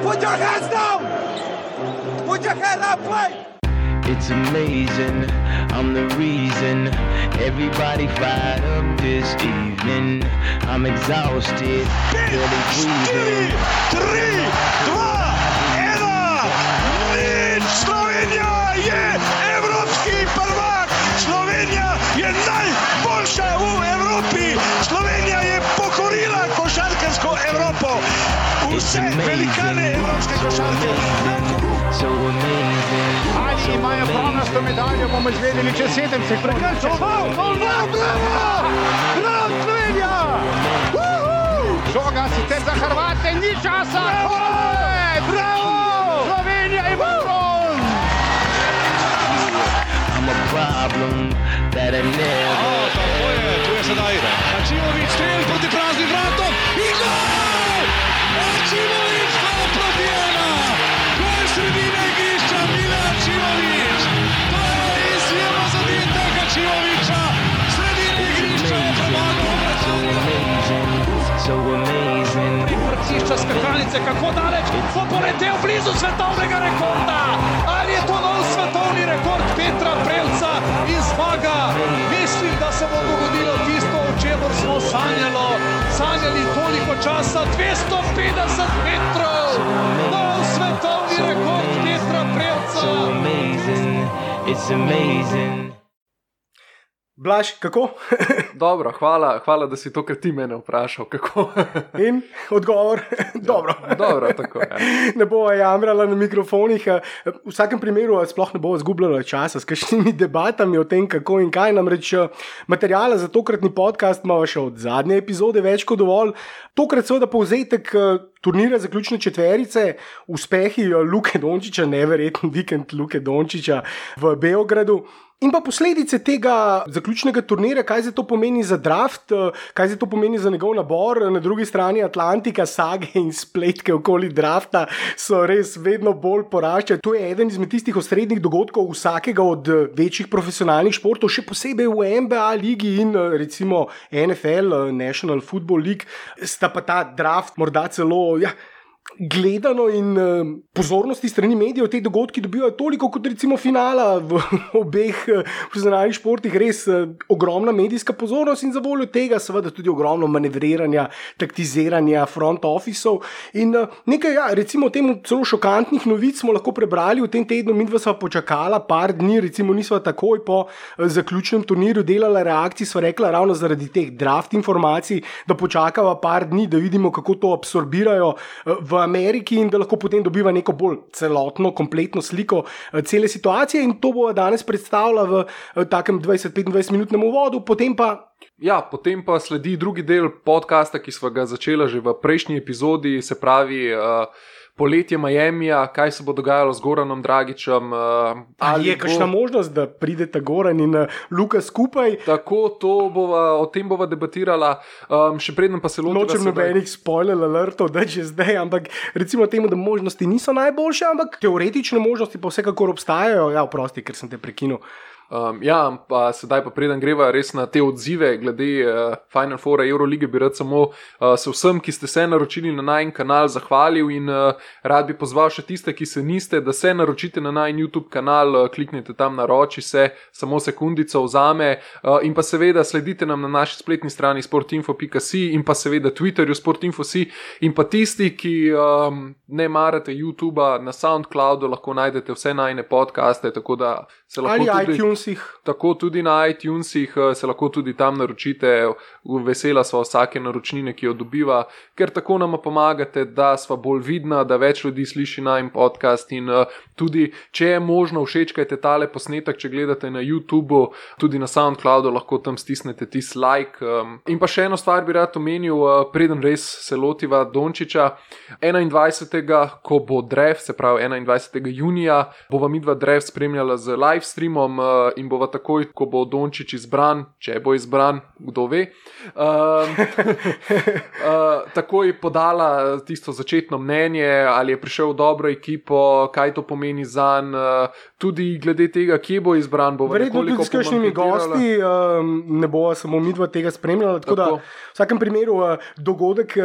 Put your hands down! Put your hands up, play! It's amazing, I'm the reason everybody fired up this evening. I'm exhausted, barely breathing. 3, 2, 1, Slovenija je evropski prvak! Slovenija je najboljša v Evropi! Slovenija je pokorila košarkarsko Evropo! Vse velikane evropske košarke! So amazing. Ali imajo pronasto medaljo, bomo izvedeli čez 7 sekund. Prekršil, bravo, Slovenija! Žoga sicer za Hrvate, ni časa! Bravo! Slovenija je bron! I'm a problem that I never Tako je, tu je sedaj Ačimović, strel proti praznim vratom in gol! Ačimović, gol proti 1! Gol sredine igrišča, Mile Ačimović! To je izjemno zadetek Ačimovića! Sredine igrišča je premagal so amazing. Vrtišča skakalnice, kako daleč, bo poletel blizu svetovnega rekorda. Ali je to nov svetovni rekord Petra Prevca in zmaga? Mislim, da se bo dogodilo tisto, o čemer smo sanjali toliko časa. 250 metrov, nov svetovni rekord Petra Prevca. So amazing, it's amazing. Blaž, kako? Dobro, hvala, da si tokrat ti mene vprašal, kako. In odgovor? Dobro. Dobro, tako je. Ne bova jamrala na mikrofonih. V vsakem primeru sploh ne bova zgubljala časa s kakšnimi debatami o tem, kako in kaj. Namreč materijala za tokratni podcast imamo še od zadnje epizode več kot dovolj. Tokrat seveda povzetek turnira zaključne četverice, uspehi Luke Dončića, neverjeten vikend Luke Dončića v Beogradu. In pa posledice tega zaključnega turnira, kaj se to pomeni za draft, kaj se to pomeni za njegov nabor, na drugi strani Atlantika, sage in spletke okoli drafta so res vedno bolj poraščajo. To je eden izmed tistih osrednjih dogodkov vsakega od večjih profesionalnih športov, še posebej v NBA ligi in recimo NFL, National Football League, sta pa ta draft morda celo gledano in pozornosti strani medijev te dogodki dobivajo toliko kot recimo finala v obeh profesionalnih športih, res ogromna medijska pozornost in za voljo tega seveda tudi ogromno manevriranja, taktiziranja front officeov in nekaj, recimo temu celo šokantnih novic smo lahko prebrali v tem tednu. Midva sva počakala par dni, recimo nisva takoj po zaključnem turnirju delala reakcij, sva rekla ravno zaradi teh draft informacij, da počakava par dni, da vidimo kako to absorbirajo v Ameriki in da lahko potem dobiva neko bolj celotno, kompletno sliko cele situacije in to bo danes predstavila v takem 20-25 minutnem uvodu, potem pa sledi drugi del podcasta, ki sva ga začela že v prejšnji epizodi, se pravi poletje Miamija, kaj se bo dogajalo z Goranom Dragićem. Ali je kakšna možnost, da prideta Goran in Luka skupaj? Tako, o tem bova debatirala, še predtem pa se lotiva. Nočem nobenih spoiler alertov, da že zdaj, ampak recimo temu, da možnosti niso najboljše, ampak teoretične možnosti pa vsekakor obstajajo. Ja, oprosti, ker sem te prekinil. Pa sedaj pa preden greva res na te odzive glede Final Foura Eurolige, bi rad samo se vsem, ki ste se naročili na najin kanal, zahvalil in rad bi pozval še tiste, ki se niste, da se naročite na najin YouTube kanal, kliknite tam naroči se, samo sekundico vzame in pa seveda sledite nam na naši spletni strani sportinfo.si in pa seveda Twitterju sportinfo.si in pa tisti, ki ne marate YouTubea, na SoundCloudu lahko najdete vse najine podcaste, tako da se lahko ali tudi tako tudi na iTunesih se lahko tudi tam naročite. Vesela sva vsake naročnine, ki jo dobiva, ker tako nama pomagate, da sva bolj vidna, da več ljudi sliši najin podcast in tudi, če je možno, všečkajte tale posnetek, če gledate na YouTubeu, tudi na SoundCloudu lahko tam stisnete tisti like. In pa še eno stvar bi rad omenil, preden res se lotiva Dončića, 21. ko bo draft, se pravi 21. junija, bova midva draft spremljala z live streamom in bova takoj, ko bo Dončić izbran, če bo izbran, kdo ve, takoj podala tisto začetno mnenje, ali je prišel v dobro ekipo, kaj to pomeni zanj, tudi glede tega, kje bo izbran, bo verjetno tudi s kakšnimi gosti, ne bo samo midva tega spremljala, tako da v vsakem primeru dogodek,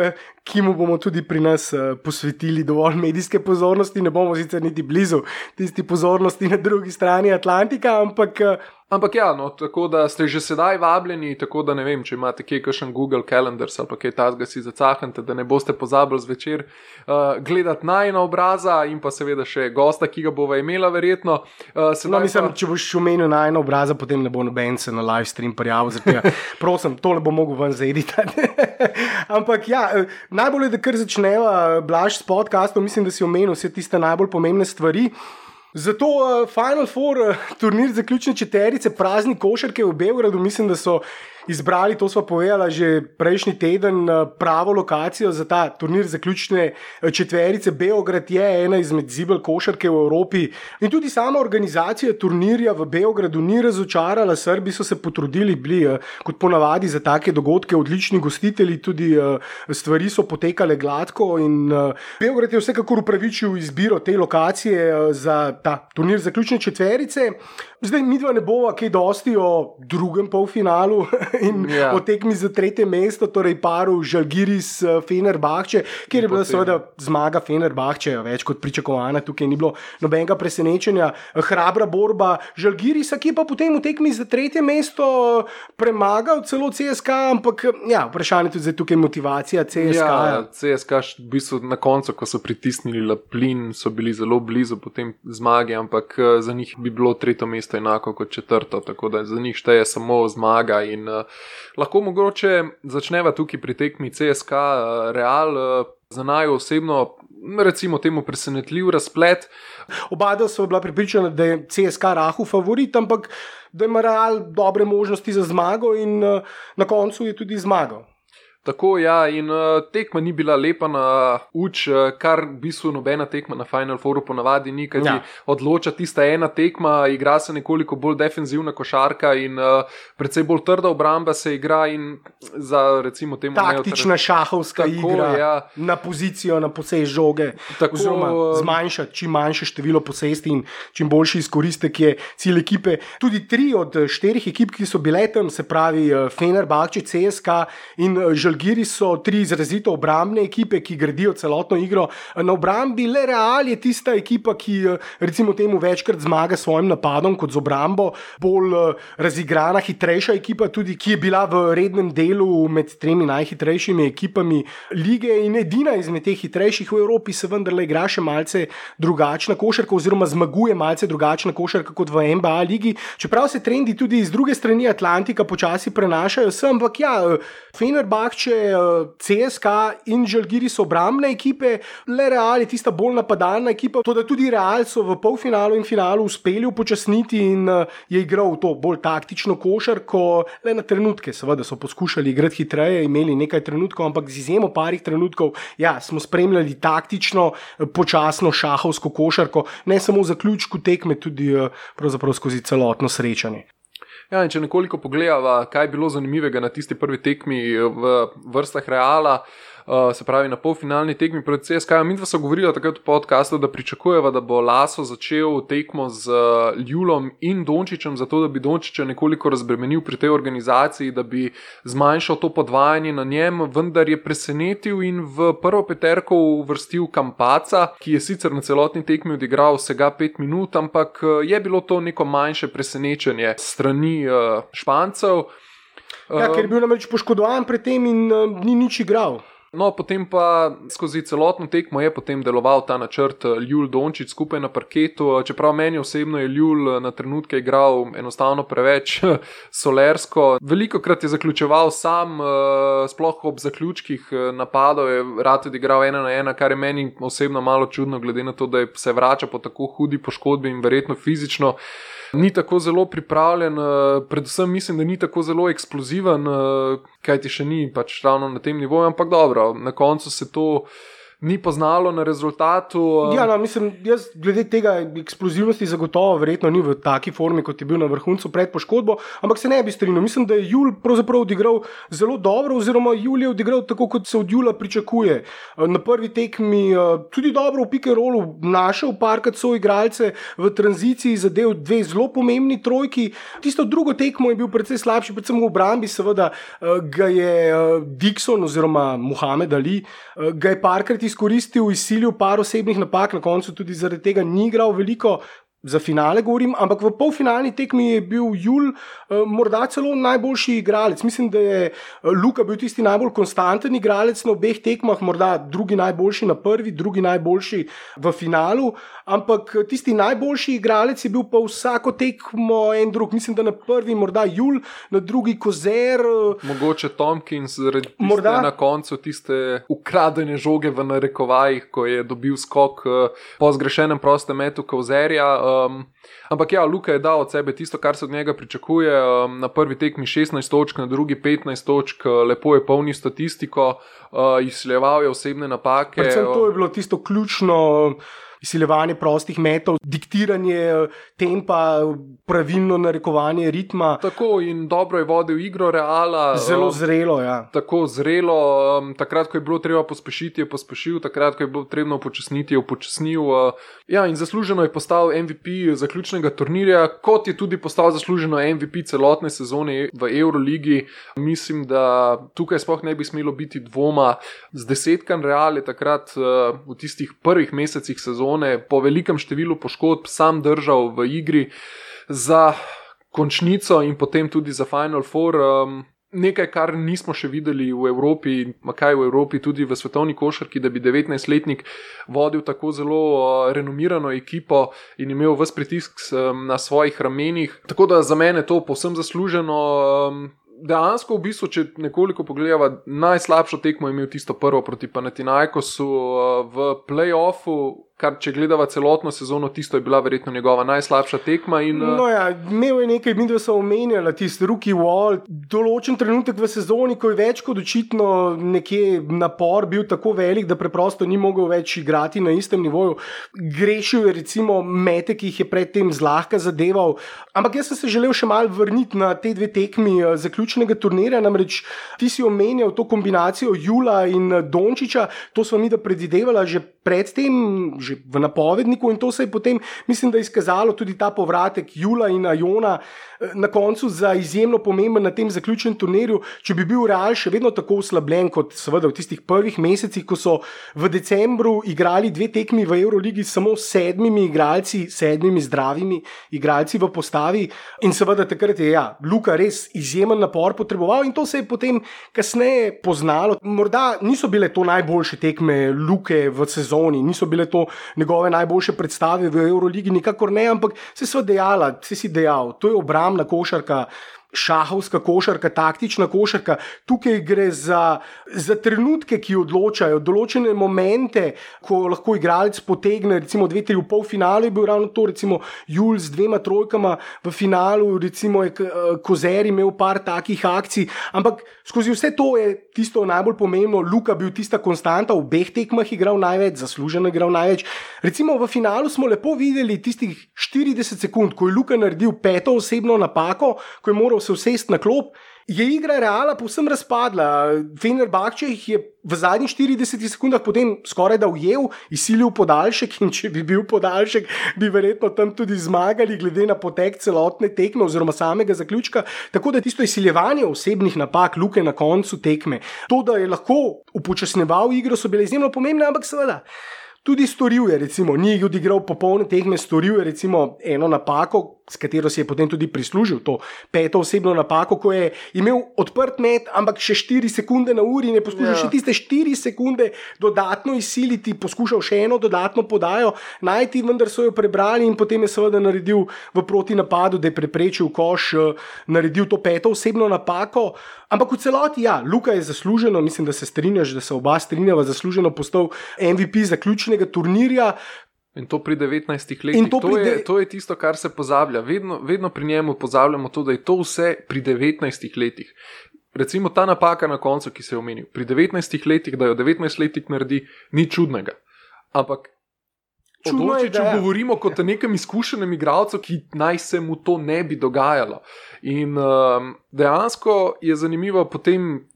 ki mu bomo tudi pri nas posvetili dovolj medijske pozornosti. Ne bomo sicer niti blizu tisti pozornosti na drugi strani Atlantika, Ampak ja, no, tako da ste že sedaj vabljeni, tako da ne vem, če imate kje kakšen Google Calendars ali pa kaj tazga si zacahante, da ne boste pozabili zvečer gledati najna obraza in pa seveda še gosta, ki ga bova imela verjetno. Mislim, če boš omenil najna obraza, potem ne bo noben se na live stream prijavil, zato prosim, tole bo mogel ven zaeditati. Ampak ja, najbolje, da kar začneva Blaž s podcastom, mislim, da si omenil vse tiste najbolj pomembne stvari. Zato Final Four, turnir zaključne četverice, prazni košarke v Beogradu, mislim, da so izbrali, to sva povedala že prejšnji teden, pravo lokacijo za ta turnir zaključne četverice. Beograd je ena izmed zibel košarke v Evropi in tudi sama organizacija turnirja v Beogradu ni razočarala. Srbi so se potrudili, bili kot ponavadi za take dogodke odlični gostitelji, tudi stvari so potekale gladko in Beograd je vsekakor upravičil izbiro te lokacije za ta turnir zaključne četverice. Zdaj midva ne bova kaj dosti o drugem polfinalu in o tekmi za tretje mesto, torej paru Žalgiris Fenerbahče, kjer je bila seveda zmaga Fenerbahče več kot pričakovana, tukaj ni bilo nobenega presenečenja. Hrabra borba Žalgirisa, ki je pa potem v tekmi za tretje mesto premagal celo CSKA, ampak ja, vprašanje tudi zdaj tukaj motivacija CSKA. Ja, CSKA v bistvu na koncu, ko so pritisnili plin, so bili zelo blizu potem zmage, ampak za njih bi bilo tretje mesto enako kot četrto, tako da za njih šteje samo zmaga in lahko mogoče začneva tukaj pri tekmi CSKA Real, za naju osebno recimo temu presenetljiv razplet. Oba so bila prepričana, da je CSKA rahu favorit, ampak da ima Real dobre možnosti za zmago in na koncu je tudi zmagal. Tako, ja, in tekma ni bila lepa na uč, kar v bistvu nobena tekma na Final Fouru ponavadi ni, kaj ti odloča tista ena tekma, igra se nekoliko bolj defenzivna košarka in precej bolj trda obramba se igra in za recimo temu taktična šahovska igra, ja, na pozicijo, na posest žoge, oziroma zmanjšati čim manjše število posesti in čim boljši izkoristek je cilj ekipe. Tudi 3 od 4 ekip, ki so bile tam, se pravi Fenerbahče, CSKA in Žalgiris, so 3 izrazito obrambne ekipe, ki gradijo celotno igro na obrambi. Le Real je tista ekipa, ki recimo temu večkrat zmaga s svojim napadom kot z obrambo, bolj razigrana, hitrejša ekipa, tudi ki je bila v rednem delu med 3 najhitrejšimi ekipami lige in edina izmed teh hitrejših v Evropi se vendarle igra še malce drugačna košarka oziroma zmaguje malce drugačna košarka kot v NBA ligi, čeprav se trendi tudi iz druge strani Atlantika počasi prenašajo sem, ampak ja, Fenerbahče, CSKA in Žalgiris so obrambne ekipe, le Real je tista bolj napadalna ekipa, to da tudi Real so v polfinalu in finalu uspeli upočasniti in je igral to bolj taktično košarko, le na trenutke, seveda so poskušali igrati hitreje, imeli nekaj trenutkov, ampak z izjemo parih trenutkov, ja, smo spremljali taktično, počasno šahovsko košarko, ne samo v zaključku tekme, tudi pravzaprav skozi celotno srečanje. Ja, in če nekoliko pogledava, kaj je bilo zanimivega na tisti prvi tekmi v vrstah Reala, se pravi na polfinalni tekmi proti CSKA. Midva so govorila takrat v podcastu, da pričakujeva, da bo Laso začel tekmo z Ljulom in Dončićem, zato da bi Dončića nekoliko razbremenil pri tej organizaciji, da bi zmanjšal to podvajanje na njem, vendar je presenetil in v prvo peterko uvrstil Campaca, ki je sicer na celotni tekmi odigral vsega 5 minut, ampak je bilo to neko manjše presenečenje strani Špancev. Ja, ker je bil namreč poškodovan pred tem in ni nič igral. No, potem pa skozi celotno tekmo je potem deloval ta načrt Ljul Dončić skupaj na parketu, čeprav meni osebno je Ljul na trenutke igral enostavno preveč solersko. Velikokrat je zaključeval sam, sploh ob zaključkih napadov je rad odigral 1-1, kar je meni osebno malo čudno, glede na to, da se vrača po tako hudi poškodbi in verjetno fizično ni tako zelo pripravljen, predvsem mislim, da ni tako zelo eksploziven, kajti še ni pač ravno na tem nivoju, ampak dobro, na koncu se to ni poznalo na rezultatu. Ja, no, mislim, jaz glede tega eksplozivnosti zagotovo verjetno ni v taki formi, kot je bil na vrhuncu pred poškodbo, ampak se ne bi strinjal. Mislim, da je Jul pravzaprav odigral zelo dobro, oziroma Jul je odigral tako, kot se od Jula pričakuje. Na prvi tekmi tudi dobro v pick and rollu našel parkrat soigralce, v tranziciji zadev 2 zelo pomembni trojki. Tisto drugo tekmo je bil precej slabši, predvsem v obrambi, seveda ga je Dixon oziroma Muhamed Ali ga je parkrat izkoristil, izsilil par osebnih napak, na koncu tudi zaradi tega ni igral veliko. Za finale govorim, ampak v polfinalni tekmi je bil Jul morda celo najboljši igralec. Mislim, da je Luka bil tisti najbolj konstanten igralec na obeh tekmah, morda drugi najboljši na prvi, drugi najboljši v finalu, ampak tisti najboljši igralec je bil pa vsako tekmo en drug. Mislim, da na prvi morda Jul, na drugi Kozer. Mogoče Tompkins, zaradi tiste na koncu tiste ukradene žoge v narekovajih, ko je dobil skok po zgrešenem prostem metu Kozerja. Ampak ja, Luka je dal od sebe tisto, kar se od njega pričakuje. Na prvi tekmi 16 točk, na drugi 15 točk, lepo je polni statistiko, izsiljeval je osebne napake. Predvsem to je bilo tisto ključno, izsiljevanje prostih metov, diktiranje tempa, pravilno narekovanje ritma. Tako, in dobro je vodil igro Reala. Zelo zrelo, ja. Tako zrelo, takrat, ko je bilo treba pospešiti, je pospešil, takrat, ko je bilo treba upočasniti, je upočasnil. Ja, in zasluženo je postal MVP zaključnega turnirja, kot je tudi postal zasluženo MVP celotne sezone v Euroligi. Mislim, da tukaj sploh ne bi smelo biti dvoma. Z desetkan Real je takrat v tistih prvih mesecih sezone po velikem številu poškodb sam držal v igri za končnico in potem tudi za Final Four. Nekaj, kar nismo še videli v Evropi, kaj v Evropi, tudi v svetovni košarki, da bi 19-letnik vodil tako zelo renomirano ekipo in imel ves pritisk na svojih ramenih. Tako da za mene to povsem zasluženo. Dejansko v bistvu, če nekoliko pogledava, najslabšo tekmo je imel tisto prvo proti Panathinaikosu v play-offu, kar če gledava celotno sezono, tisto je bila verjetno njegova najslabša tekma. No ja, imel je nekaj, mi da so omenjali tisti rookie wall, določen trenutek v sezoni, ko je več kot očitno nekje napor bil tako velik, da preprosto ni mogel več igrati na istem nivoju. Grešil je recimo mete, ki jih je predtem zlahka zadeval, ampak jaz sem se želel še malo vrniti na te 2 tekmi zaključnega turnirja, namreč ti si omenjal to kombinacijo Jula in Dončića, to sva mi da predvidevala že predtem, že v napovedniku, in to se je potem, mislim, da izkazalo tudi ta povratek Jula in Ajona na koncu za izjemno pomemben na tem zaključnem turnirju. Če bi bil Real še vedno tako oslabljen kot seveda v tistih prvih mesecih, ko so v decembru igrali 2 tekmi v Euroligi samo s 7 igralci, 7 zdravimi igralci v postavi, in seveda takrat je Luka res izjemen napor potreboval in to se je potem kasneje poznalo. Morda niso bile to najboljše tekme Luke v sezoni, niso bile to njegove najboljše predstave v Euroligi, nikakor ne, ampak se si dejal, to je obrambna košarka, šahovska košarka, taktična košarka. Tukaj gre za trenutke, ki odločajo, določene momente, ko lahko igralec potegne, recimo 2-3 v polfinalu je bil ravno to, recimo Jul z 2 trojkama, v finalu recimo je Kozer imel par takih akcij, ampak skozi vse to je tisto najbolj pomembno, Luka bil tista konstanta, v obeh tekmah igral največ, zasluženo igral največ. Recimo v finalu smo lepo videli tistih 40 sekund, ko je Luka naredil 5. osebno napako, ko je moral se usesti na klop, je igra Reala povsem razpadla. Fenerbahče jih je v zadnjih 40 sekundah potem skoraj da ujel, izsilil podaljšek, in če bi bil podaljšek, bi verjetno tam tudi zmagali, glede na potek celotne tekme oziroma samega zaključka. Tako da tisto izsiljevanje osebnih napak Luke na koncu tekme, to, da je lahko upočasneval igro, so bile izjemno pomembne, ampak seveda tudi storil je, recimo, ni odigral popolne tekme, storil je recimo eno napako, s katero si je potem tudi prislužil to 5. osebno napako, ko je imel odprt met, ampak še 4 sekunde na uri in je poskušal še tiste 4 sekunde dodatno izsiliti, poskušal še eno dodatno podajo najti, vendar so jo prebrali in potem je seveda naredil v protinapadu, da je preprečil koš, naredil to 5. osebno napako. Ampak v celoti, Luka je zasluženo, mislim, da se strinjaš, da se oba strinjava, zasluženo postal MVP zaključnega turnirja. In to pri 19 letih. To je tisto, kar se pozablja. Vedno pri njemu pozabljamo to, da je to vse pri 19 letih. recimo ta napaka na koncu, ki se je omenil, pri 19 letih, da jo 19-letnik naredi, ni čudnega. Ampak o Dončiću govorimo kot o nekem izkušenem igralcu, ki naj se mu to ne bi dogajalo. In dejansko je zanimivo potem.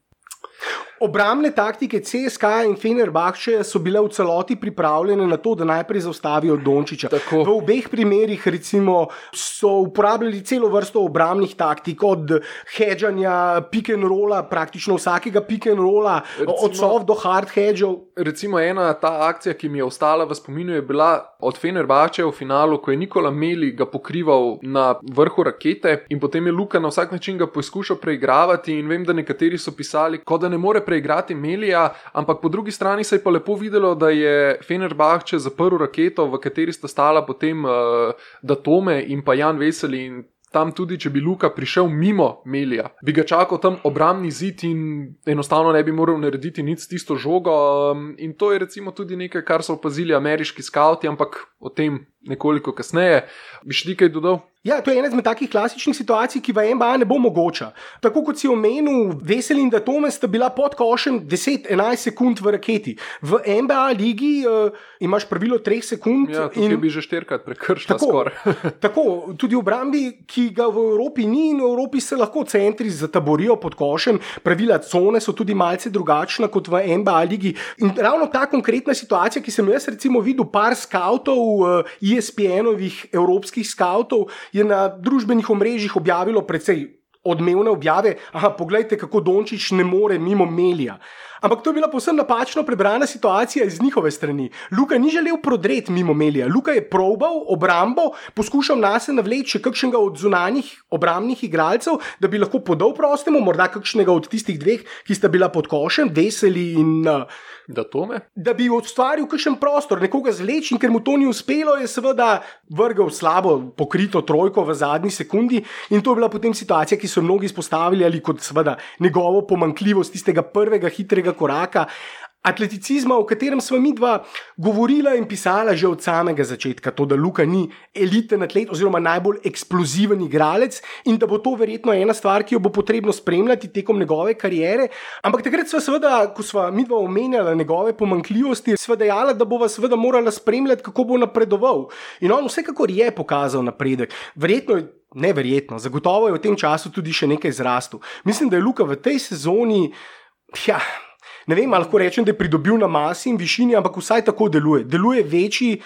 Obrambne taktike CSKA in Fenerbahčeja so bile v celoti pripravljene na to, da najprej zaustavijo Dončića. Tako. V obeh primerih recimo so uporabljali celo vrsto obrambnih taktik, od hedžanja, pick and rolla, praktično vsakega pick and rolla, od soft do hard hedžev. Recimo ena ta akcija, ki mi je ostala v spominu, je bila od Fenerbahčeja v finalu, ko je Nikola Meli ga pokrival na vrhu rakete in potem je Luka na vsak način ga poskušal preigravati in vem, da nekateri so pisali, kot da ne more preigrati Melija, ampak po drugi strani se je pa lepo videlo, da je Fenerbahče zaprl raketo, v kateri sta stala potem Datome in pa Jan Veseli in tam tudi, če bi Luka prišel mimo Melija, bi ga čakal tam obrambni zid in enostavno ne bi moral narediti nič s tisto žogo in to je recimo tudi nekaj, kar so opazili ameriški skauti, ampak o tem nekoliko kasneje. Bi šli kaj dodal? Ja, to je ena izmed takih klasičnih situacij, ki v NBA ne bo mogoča. Tako kot si omenil, Veseli in Datome sta bila pod košem 10-11 sekund v raketi. V NBA ligi imaš pravilo 3 sekund. Ja, tukaj bi že 4-krat prekršila skoraj. Tako, tudi v obrambi, ki ga v Evropi ni in v Evropi se lahko centri zataborijo pod košem. Pravila cone so tudi malce drugačna kot v NBA ligi. In ravno ta konkretna situacija, ki sem jaz recimo videl par skautov, ESPN-ovih evropskih skautov, je na družbenih omrežjih objavilo precej odmevne objave. Aha, poglejte, kako Dončić ne more mimo Melija. Ampak to je bila povsem napačno prebrana situacija iz njihove strani. Luka ni želel prodreti mimo Melija. Luka je probal obrambo, poskušal nase navleči kakšnega od zunanjih obrambnih igralcev, da bi lahko podal prostemu, morda kakšnega od tistih dveh, ki sta bila pod košem, Veseli in Datome. Da bi ustvaril kakšen prostor, nekoga zleč in ker mu to ni uspelo, je seveda vrgel slabo pokrito trojko v zadnji sekundi in to je bila potem situacija, ki so mnogi izpostavili ali kot seveda njegovo pomanjkljivost tistega prvega hitrega koraka. Atleticizma, o katerem sva midva govorila in pisala že od samega začetka, to, da Luka ni eliten atlet oziroma najbolj eksploziven igralec in da bo to verjetno ena stvar, ki jo bo potrebno spremljati tekom njegove kariere. Ampak takrat sva seveda, ko sva midva omenjala njegove pomanjkljivosti, sva dejala, da bova seveda morala spremljati, kako bo napredoval. In on vsekakor je pokazal napredek. Neverjetno, zagotovo je v tem času tudi še nekaj zrastel. Mislim, da je Luka v tej sezoni, ne vem, lahko rečem, da je pridobil na masi in višini, ampak vsaj tako deluje. Deluje večji,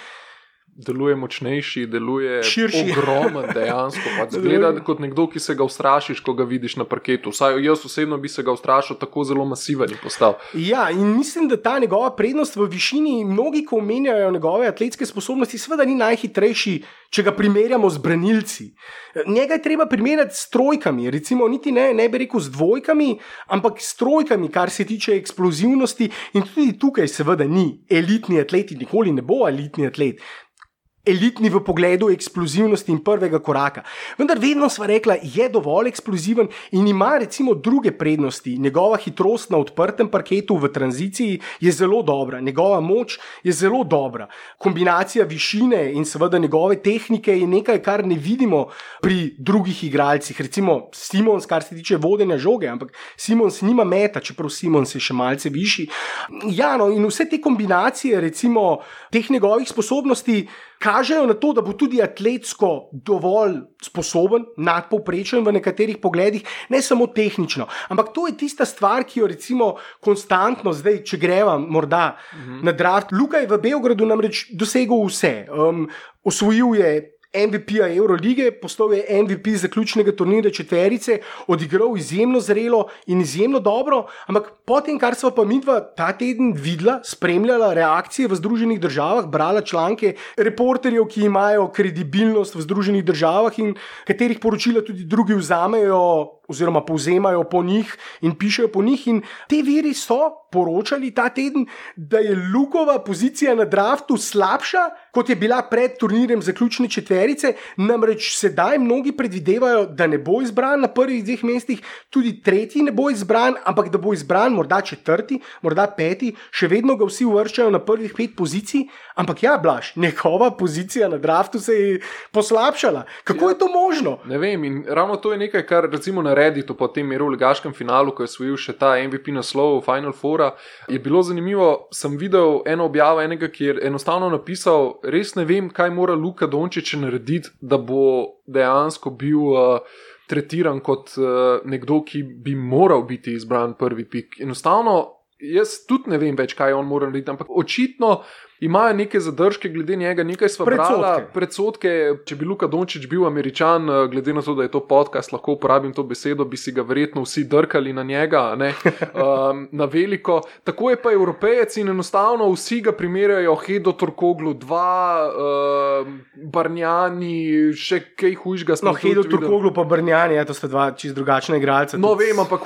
deluje močnejši, deluje širši. Ogromen dejansko. Zgleda kot nekdo, ki se ga ustrašiš, ko ga vidiš na parketu. Vsaj jaz osebno bi se ga ustrašil, tako zelo masiven je postal. Ja, in mislim, da ta njegova prednost v višini, mnogi, ko omenjajo njegove atletske sposobnosti, seveda ni najhitrejši, če ga primerjamo z branilci. Njega je treba primerjati s trojkami, recimo niti ne bi rekel z dvojkami, ampak s trojkami, kar se tiče eksplozivnosti in tudi tukaj seveda ni elitni atlet, nikoli ne bo elitni atlet. Elitni v pogledu eksplozivnosti in prvega koraka. Vendar vedno sva rekla, je dovolj eksploziven in ima recimo druge prednosti. Njegova hitrost na odprtem parketu v tranziciji je zelo dobra, njegova moč je zelo dobra. Kombinacija višine in seveda njegove tehnike je nekaj, kar ne vidimo pri drugih igralcih. Recimo Simons, kar se tiče vodenja žoge, ampak Simons nima meta, čeprav Simons je še malce višji. Ja, no, in vse te kombinacije recimo teh njegovih sposobnosti kažejo na to, da bo tudi atletsko dovolj sposoben, nadpovprečen v nekaterih pogledih, ne samo tehnično. Ampak to je tista stvar, ki jo recimo konstantno zdaj, če greva morda na draft. Luka je v Beogradu namreč dosegel vse. Osvojil je MVP-ja Eurolige, postal je MVP zaključnega turnirja četverice, odigral izjemno zrelo in izjemno dobro, ampak potem, kar sva pa midva ta teden videla, spremljala reakcije v Združenih državah, brala članke reporterjev, ki imajo kredibilnost v Združenih državah in katerih poročila tudi drugi vzamejo oziroma povzemajo po njih in pišejo po njih in te viri so poročali ta teden, da je Lukova pozicija na draftu slabša, kot je bila pred turnirjem zaključne četverice, namreč sedaj mnogi predvidevajo, da ne bo izbran na prvih 2 mestih, tudi tretji ne bo izbran, ampak da bo izbran morda 4., morda 5., še vedno ga vsi uvrščajo na prvih 5 pozicij, ampak ja, Blaž, njegova pozicija na draftu se je poslabšala. Kako je to možno? Ne vem, in ravno to je nekaj, kar recimo na Redditu po tem Euroligaškem finalu, ko je osvojil še ta MVP naslov Final Foura, je bilo zanimivo, sem videl eno objavo enega, ki je enostavno napisal, res ne vem, kaj mora Luka Dončić narediti, da bo dejansko bil tretiran kot nekdo, ki bi moral biti izbran prvi pik. Enostavno, jaz tudi ne vem več, kaj on mora narediti, ampak očitno imajo neke zadržke glede njega, nekaj sva brala, predsodke, če bi Luka Dončić bil Američan, glede na to, da je to podcast, lahko uporabim to besedo, bi si ga verjetno vsi drkali na njega, ne? Na veliko. Tako je pa Evropejec in enostavno vsi ga primerjajo Hedo Turkoglu 2, Bargnani, še kaj hujšega. No, Hedo Turkoglu pa Bargnani, to sta dva čisto drugačna igralca. No, vem, ampak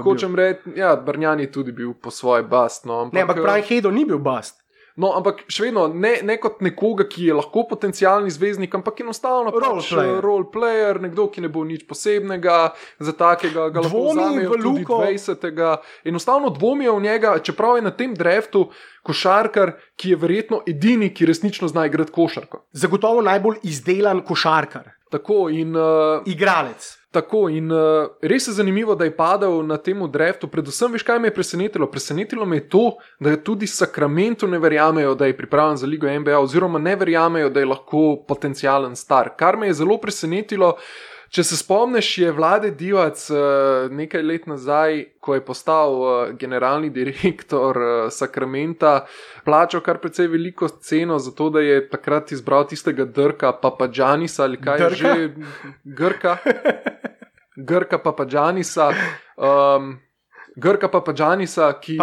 hočem reči, ja, Bargnani tudi bil po svoje bast. No, ampak pravi Hedo ni bil bast. No, ampak še vedno, ne kot nekoga, ki je lahko potencialni zvezdnik, ampak enostavno role player, nekdo, ki ne bo nič posebnega, za takega ga lahko vzamejo tudi 20. Enostavno dvomijo v njega, čeprav je na tem draftu košarkar, ki je verjetno edini, ki resnično zna igrati košarko. Zagotovo najbolj izdelan košarkar. Tako in igralec. Tako in res je zanimivo, da je padel na temu draftu. Predvsem, veš, kaj me je presenetilo? Presenetilo me je to, da tudi Sacramento ne verjamejo, da je pripravljen za ligo NBA, oziroma ne verjamejo, da je lahko potencialen star. Kar me je zelo presenetilo, če se spomniš, je Vlade Divac nekaj let nazaj, ko je postal generalni direktor Sacramenta, plačal kar precej veliko ceno za to, da je takrat izbral tistega Drka Papadžanisa, ali kaj je že? Grka Papadžanisa, Grka Papadžanisa, ki...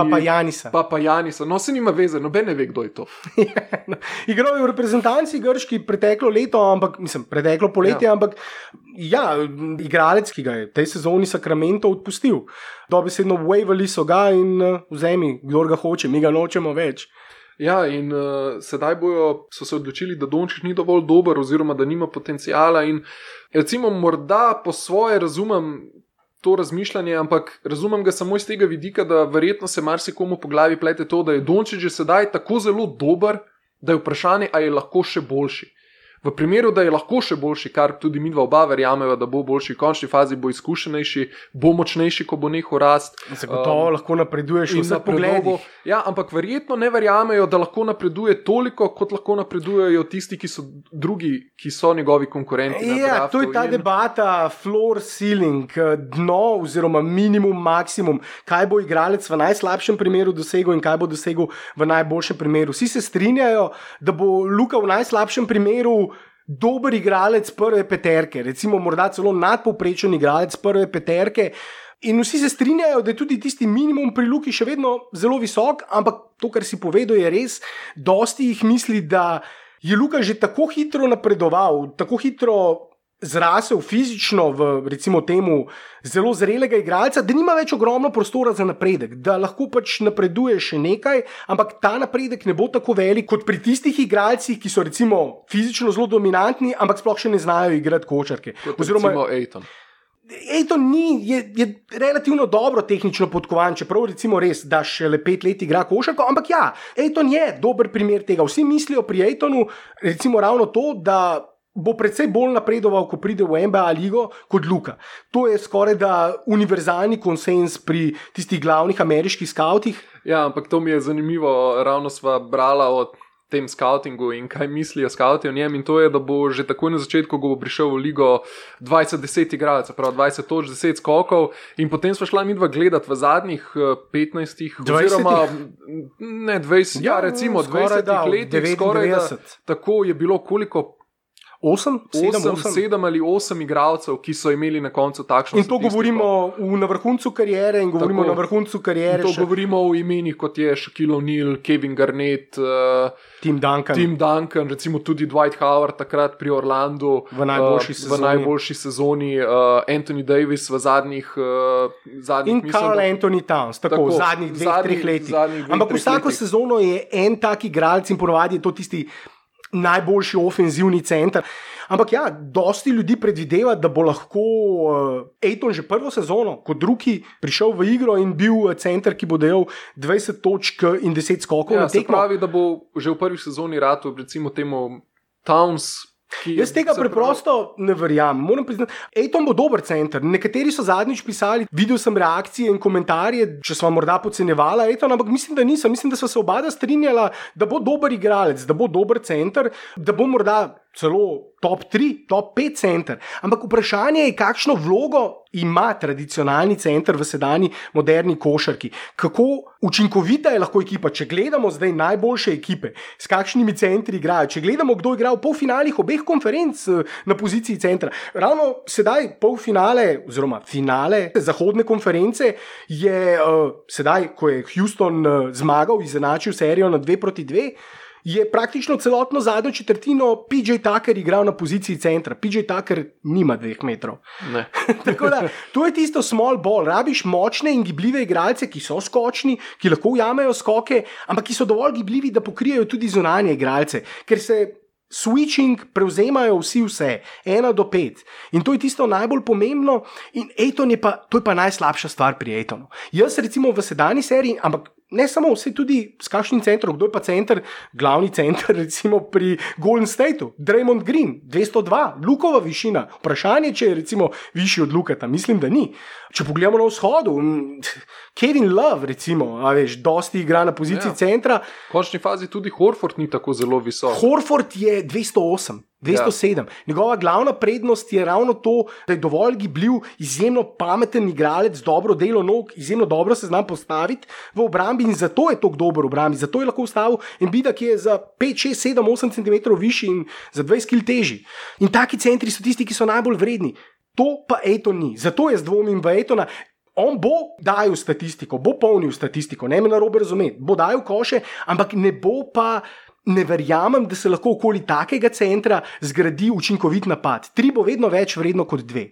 Papajanisa. No, se nima veze, noben ne ve, kdo je to. Igral je v reprezentanci grški preteklo leto, preteklo poletje, ampak ja, igralec, ki ga je tej sezoni Sacramento odpustil. Dobesedno wavali so ga in vzemi, kdor ga hoče, mi ga nočemo več. Ja, in sedaj so se odločili, da Dončić ni dovolj dober oziroma da nima potencijala in recimo morda po svoje razumem to razmišljanje, ampak razumem ga samo iz tega vidika, da verjetno se marsikomu po glavi plete to, da je Dončić že sedaj tako zelo dober, da je vprašanje, a je lahko še boljši. V primeru, da je lahko še boljši, kar tudi mi dva oba verjameva, da bo boljši, v končni fazi bo izkušenejši, bo močnejši, ko bo nehal rast. Zagotovo lahko napreduješ v vseh pogledih. Ja, ampak verjetno ne verjamejo, da lahko napreduje toliko, kot lahko napredujejo tisti, ki so drugi, ki so njegovi konkurenti. Ja, to je ta debata floor ceiling, dno oziroma minimum, maksimum. Kaj bo igralec v najslabšem primeru dosegel in kaj bo dosegel v najboljšem primeru. Vsi se strinjajo, da bo Luka v najslabšem primeru dober igralec prve peterke, recimo morda celo nadpovprečen igralec prve peterke, in vsi se strinjajo, da je tudi tisti minimum pri Luki še vedno zelo visok, ampak to, kar si povedal, je res, dosti jih misli, da je Luka že tako hitro napredoval, tako hitro zrasel fizično v, recimo temu, zelo zrelega igralca, da nima več ogromno prostora za napredek, da lahko pač napreduje še nekaj, ampak ta napredek ne bo tako velik kot pri tistih igralcih, ki so recimo fizično zelo dominantni, ampak sploh še ne znajo igrati košarke. Oziroma Ayton. Ayton je relativno dobro tehnično podkovan, čeprav recimo res, da šele 5 let igra košarko, ampak ja, Ayton je dober primer tega. Vsi mislijo pri Aytonu recimo ravno to, da bo predvsej bolj napredoval, ko pride v NBA ligo kot Luka. To je skoraj da univerzalni konsens pri tistih glavnih ameriških skautih. Ja, ampak to mi je zanimivo, ravno sva brala o tem skautingu in kaj mislijo skauti o njem in to je, da bo že takoj na začetku, ko bo prišel v ligo 20-10 igralcev, prav 20 točk, 10 skokov in potem sva šla midva gledati v zadnjih 15 oziroma ne 20, ja recimo 20 letih, skoraj da tako je bilo koliko 7 ali 8 igralcev, ki so imeli na koncu takšno in to statistiko. Govorimo na vrhuncu kariere in govorimo na vrhuncu kariere. To govorimo o imenih, kot je Shaquille O'Neal, Kevin Garnett, Tim Duncan, recimo tudi Dwight Howard takrat pri Orlandu v najboljši sezoni, Anthony Davis v zadnjih in Karl Anthony Towns, tako v zadnjih 2-3 letih. Ampak vsako sezono je en tak igralec in ponavadi je to tisti najboljši ofenzivni center. Ampak ja, dosti ljudi predvideva, da bo lahko Ayton že prvo sezono kot drugi prišel v igro in bil center, ki bo dajal 20 točk in 10 skokov na tekmo. Se pravi, da bo že v prvi sezoni ratu recimo temu Towns Jaz tega preprosto ne verjamem. Moram priznati, Ejton bo dober center. Nekateri so zadnjič pisali, videl sem reakcije in komentarje, če smo morda podcenjevala Ejton, ampak mislim, da niso. Mislim, da so se oba strinjala, da bo dober igralec, da bo dober center, da bo morda celo top 3, top 5 center. Ampak vprašanje je, kakšno vlogo ima tradicionalni center v sedanji moderni košarki. Kako učinkovita je lahko ekipa, če gledamo zdaj najboljše ekipe, s kakšnimi centri igrajo, če gledamo, kdo igra v polfinalih obeh konferenc na poziciji centra. Ravno sedaj polfinale oziroma finale zahodne konference je sedaj, ko je Houston zmagal, izenačil serijo na 2-2, je praktično celotno zadnjo četrtino PJ Tucker igral na poziciji centra. PJ Tucker nima 2 metrov. Tako da, to je tisto small ball. Rabiš močne in gibljive igralce, ki so skočni, ki lahko ujamejo skoke, ampak ki so dovolj gibljivi, da pokrijejo tudi zunanje igralce, ker se switching prevzemajo vse, 1 do 5. In to je tisto najbolj pomembno. In Ejton to je pa najslabša stvar pri Ejtonu. Jaz recimo v sedanji seriji, ampak ne samo, vse tudi s kakšnim centrom, kdo je pa center, glavni center recimo pri Golden Stateu, Draymond Green, 202, Lukova višina. Vprašanje, če je recimo višji od Lukata, mislim, da ni. Če pogledamo na vzhodu, Kevin Love recimo, dosti igra na poziciji centra. V končni fazi tudi Horford ni tako zelo visok. Horford je 208. 207. Njegova glavna prednost je ravno to, da je dovolj gibljiv, izjemno pameten igralec, dobro delo nog, izjemno dobro se zna postaviti v obrambi in zato je tako dober v obrambi. Zato je lahko ustavil Embida, ki je za 5, 6, 7, 8 cm višji in za 20 kg težji. In taki centri so tisti, ki so najbolj vredni. To pa Ejton ni. Zato jaz dvomim v Ejtona. On bo dajal statistiko, bo polnil statistiko, ne me narobe razumeti, bo dajal koše, ampak ne bo pa. Ne verjamem, da se lahko okoli takega centra zgradi učinkovit napad. 3 bo vedno več vredno kot 2.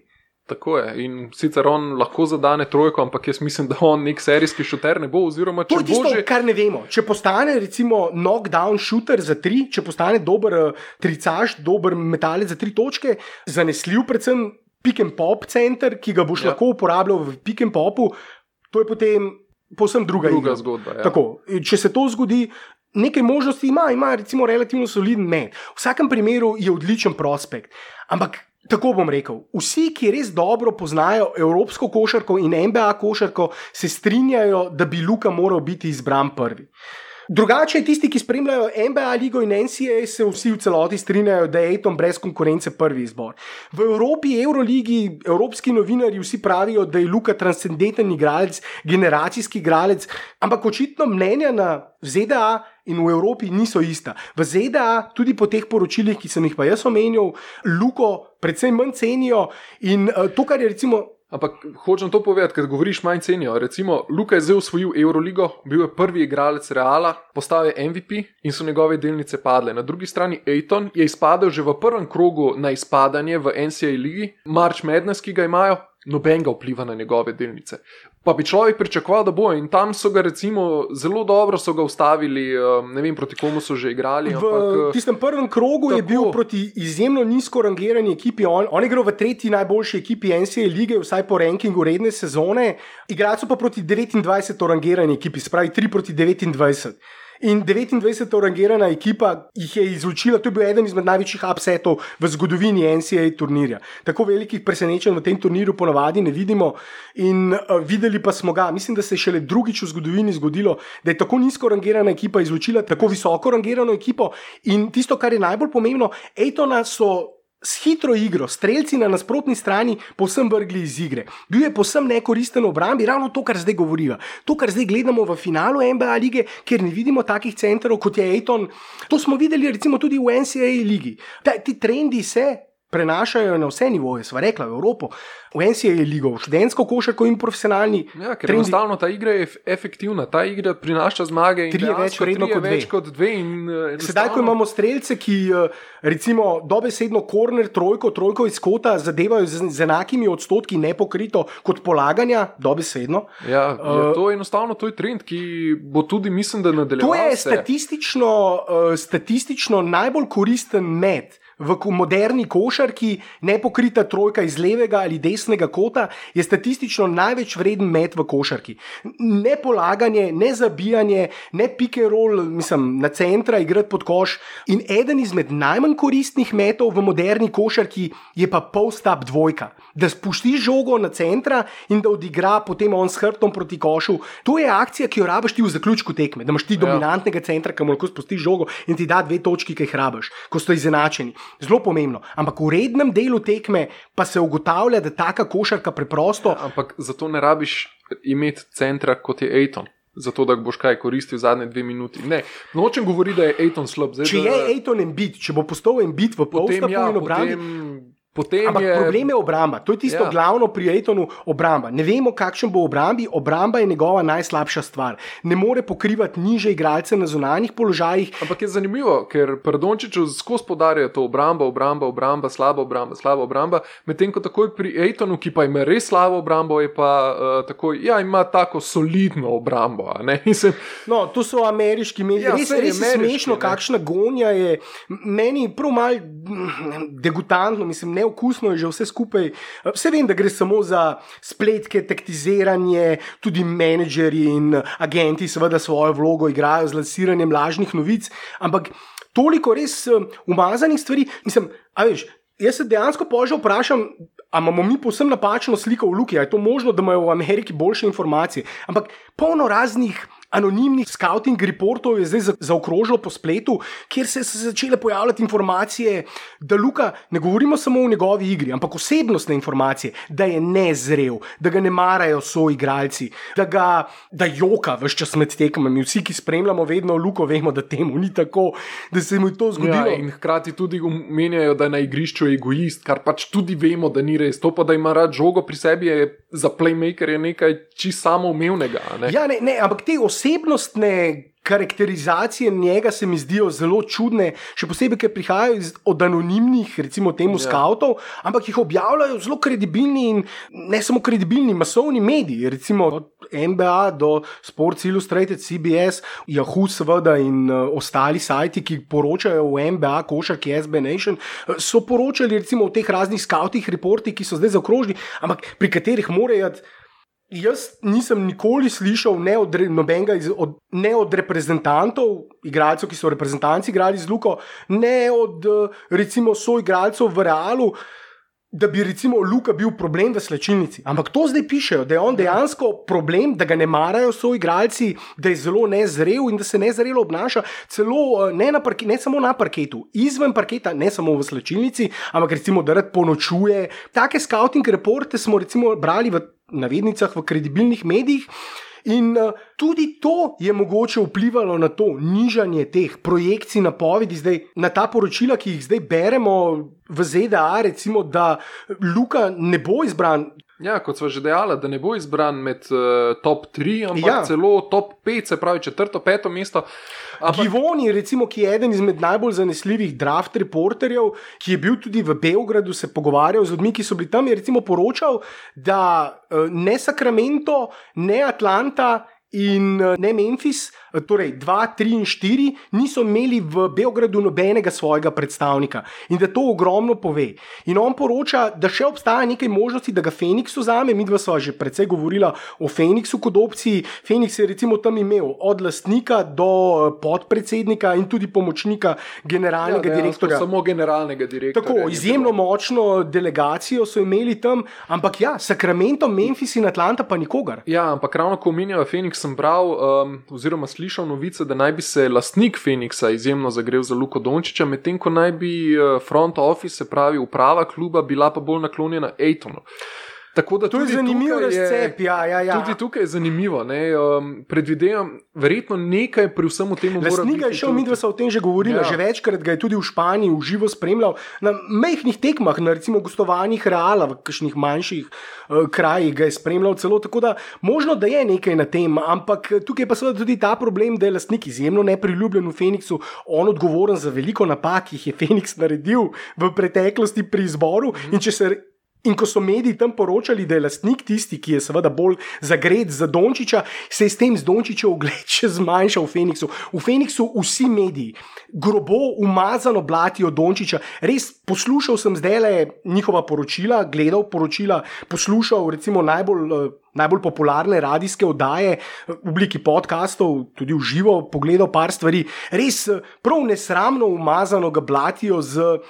Tako je. In sicer on lahko zadane trojko, ampak jaz mislim, da on nek serijski šuter ne bo. Oziroma, če to je tisto, že... kar ne vemo. Če postane recimo knockdown shooter za 3, če postane dober tricaš, dober metalec za 3 točke, zanesljiv predvsem pick and pop center, ki ga boš lahko uporabljal v pick and popu, to je potem povsem druga zgodba. Ja. Tako, če se to zgodi, nekaj možnosti ima recimo relativno soliden met. V vsakem primeru je odličen prospekt. Ampak tako bom rekel, vsi, ki res dobro poznajo evropsko košarko in NBA košarko, se strinjajo, da bi Luka moral biti izbran prvi. Drugače, tisti, ki spremljajo NBA ligo in NCAA, se vsi v celoti strinjajo, da je Ejton brez konkurence prvi izbor. V Evropi, Euroligi, evropski novinarji vsi pravijo, da je Luka transcendenten igralec, generacijski igralec, ampak očitno mnenja na ZDA in v Evropi niso ista. V ZDA, tudi po teh poročilih, ki sem jih pa jaz omenil, Luko predvsem manj cenijo in to, kar je recimo. Ampak hočem to povedati, ker govoriš manj cenijo. Recimo, Luka je zdaj osvojil Euroligo, bil je prvi igralec Reala, postal je MVP in so njegove delnice padle. Na drugi strani Ejton je izpadel že v prvem krogu na izpadanje v NCAA ligi, March Madness, ki ga imajo, nobenega vpliva na njegove delnice. Pa bi človek pričakoval, da bo, in tam so ga recimo zelo dobro so ga ustavili, ne vem proti komu so že igrali. V tistem prvem krogu tako. Je bil proti izjemno nizko rangirani ekipi, on je igral v 3. najboljši ekipi NCAA lige, vsaj po rankingu redne sezone, igrali so pa proti 29. rangirani ekipi, spravi 3 proti 29. In 29. rangirana ekipa jih je izločila, to je bil eden izmed največjih upsetov v zgodovini NCAA turnirja. Tako velikih presenečenj v tem turnirju ponavadi ne vidimo in videli pa smo ga. Mislim, da se je šele drugič v zgodovini zgodilo, da je tako nizko rangirana ekipa izločila tako visoko rangirano ekipo in tisto, kar je najbolj pomembno, Ejtona so s hitro igro, strelci na nasprotni strani povsem vrgli iz igre. Bil je povsem nekoristen v obrambi, ravno to, kar zdaj govorijo. To, kar zdaj gledamo v finalu NBA lige, kjer ne vidimo takih centrov, kot je Ejton. To smo videli recimo tudi v NCAA ligi. Ti trendi se prenašajo na vse nivoje, sva rekla, v Evropo, v NCAA ligo, v študentsko košarko in profesionalni. Ja, ker enostavno ta igra je efektivna, ta igra prinaša zmage in več kot 2. Sedaj, ko imamo strelce, ki recimo dobesedno korner trojko iz kota zadevajo z enakimi odstotki nepokrito kot polaganja, dobesedno. Ja, to je enostavno, to je trend, ki bo tudi, mislim, da nadaljeval se. To je statistično najbolj koristen met v moderni košarki nepokrita trojka iz levega ali desnega kota je statistično največ vreden met v košarki. Ne polaganje, ne zabijanje, ne pick and roll, na centra igrati pod koš. In eden izmed najmanj koristnih metov v moderni košarki je pa post-up dvojka. Da spustiš žogo na centra in da odigra potem on s hrbtom proti košu. To je akcija, ki jo rabiš ti v zaključku tekme, da imaš ti dominantnega centra, ki mu lahko spustiš žogo in ti da 2 točki, ki jih rabiš, ko so izenačeni. Zelo pomembno. Ampak v rednem delu tekme pa se ugotavlja, da taka košarka preprosto. Ampak zato ne rabiš imeti centra kot je Ayton. Zato, da boš kaj koristil zadnje 2 minuti. Ne, nočem govoriti, da je Ayton slab. Zdaj, če je Ayton Embiid, če bo postal Embiid v post-upu in obrambi. Ampak problem je obramba. To je tisto glavno pri Aytonu, obramba. Ne vemo, kakšen bo obrambi. Obramba je njegova najslabša stvar. Ne more pokrivati niže igralce na zunanjih položajih. Ampak je zanimivo, ker pri Dončiću skozi poudarjajo to obramba, slaba obramba, medtem ko takoj pri Aytonu, ki pa ima res slabo obrambo, je pa takoj, ima tako solidno obrambo. No, to so ameriški mediji. Res je smešno, kakšna gonja je. Meni prav malo degutantno, neokusno je že vse skupaj. Vse vem, da gre samo za spletke, taktiziranje, tudi menedžerji in agenti seveda svojo vlogo igrajo z lansiranjem lažnih novic, ampak toliko res umazanih stvari. Jaz se dejansko že vprašam, ali imamo mi povsem napačno sliko v luki, ali je to možno, da imajo v Ameriki boljše informacije. Ampak polno raznih anonimnih scouting reportov je zdaj zaokrožilo po spletu, kjer se začele pojavljati informacije, da Luka, ne govorimo samo o njegovi igri, ampak osebnostne informacije, da je nezrel, da ga ne marajo soigralci, da joka ves čas med tekmami. Vsi, ki spremljamo vedno Luko, vemo, da temu ni tako, da se mu je to zgodilo. Ja, in hkrati tudi omenjajo, da je na igrišču egoist, kar pač tudi vemo, da ni res. To pa, da ima rad žogo pri sebi, je za playmaker je nekaj čisto samoumevnega. Ja, ne, ampak te osebnostne karakterizacije njega se mi zdijo zelo čudne, še posebej, ker prihajajo od anonimnih, recimo temu skautov, ampak jih objavljajo zelo kredibilni in ne samo kredibilni, masovni mediji, recimo od NBA do Sports Illustrated, CBS, Yahoo seveda in ostali sajti, ki poročajo o NBA, košarki, SB Nation, so poročali recimo o teh raznih skautih reportih, ki so zdaj zaokrožili, ampak pri katerih morajo. Jaz nisem nikoli slišal ne od reprezentantov, igralcev, ki so reprezentanci igrali z Luko, ne od recimo soigralcev v Realu, da bi recimo Luka bil problem v slačilnici. Ampak to zdaj pišejo, da je on dejansko problem, da ga ne marajo soigralci, da je zelo nezrel in da se nezrelo obnaša, celo ne samo na parketu, izven parketa, ne samo v slačilnici, ampak recimo, da rad ponočuje. Take scouting reporte smo recimo brali v navednicah v kredibilnih medijih in tudi to je mogoče vplivalo na to nižanje teh projekcij, napovedi zdaj, na ta poročila, ki jih zdaj beremo v ZDA, recimo, da Luka ne bo izbran. Ja, kot sva že dejala, da ne bo izbran med top 3, ampak celo top 5, se pravi 4., 5. mesto. Givoni, recimo, ki je eden izmed najbolj zanesljivih draft reporterjev, ki je bil tudi v Beogradu, se pogovarjal z ljudmi, ki so bili tam, je recimo poročal, da ne Sacramento, ne Atlanta in ne Memphis, torej 2, 3 in 4, niso imeli v Beogradu nobenega svojega predstavnika in da to ogromno pove. In on poroča, da še obstaja nekaj možnosti, da ga Phoenix vzame. Midva sva že precej govorila o Phoenixu kot opciji. Phoenix je recimo tam imel od lastnika do podpredsednika in tudi pomočnika generalnega direktorja. Samo generalnega direktorja. Tako, izjemno močno delegacijo so imeli tam, ampak Sacramento, Memphis in Atlanta pa nikogar. Ja, ampak ravno ko omenjajo Phoenix, sem bral oziroma slišal novice, da naj bi se lastnik Phoenixa izjemno zagrel za Luko Dončića, medtem ko naj bi front office, se pravi uprava kluba, bila pa bolj naklonjena Aytonu. Tako da to je zanimiv razcep, Tudi tukaj je zanimivo, predvidevam, verjetno nekaj pri vsem temu mora biti. Lastnika je šel, midva sva o tem že govorila, že večkrat ga je tudi v Španiji v živo spremljal, na majhnih tekmah, na recimo gostovanjih Reala, v kakšnih manjših krajih ga je spremljal celo, tako da možno, da je nekaj na tem, ampak tukaj pa seveda tudi ta problem, da je lastnik izjemno nepriljubljen v Phoenixu, on odgovoren za veliko napak, ki jih je Phoenix naredil v preteklosti pri izboru in če se In ko so mediji tam poročali, da je lastnik tisti, ki je seveda bolj zagret za Dončića, se je s tem z Dončićev ugled še zmanjšal v Phoenixu. V Phoenixu vsi mediji grobo umazano blatijo Dončića. Res poslušal sem zdajle njihova poročila, gledal poročila, poslušal recimo najbolj popularne radijske oddaje v obliki podcastov, tudi v živo pogledal par stvari. Res prav nesramno umazano ga blatijo z...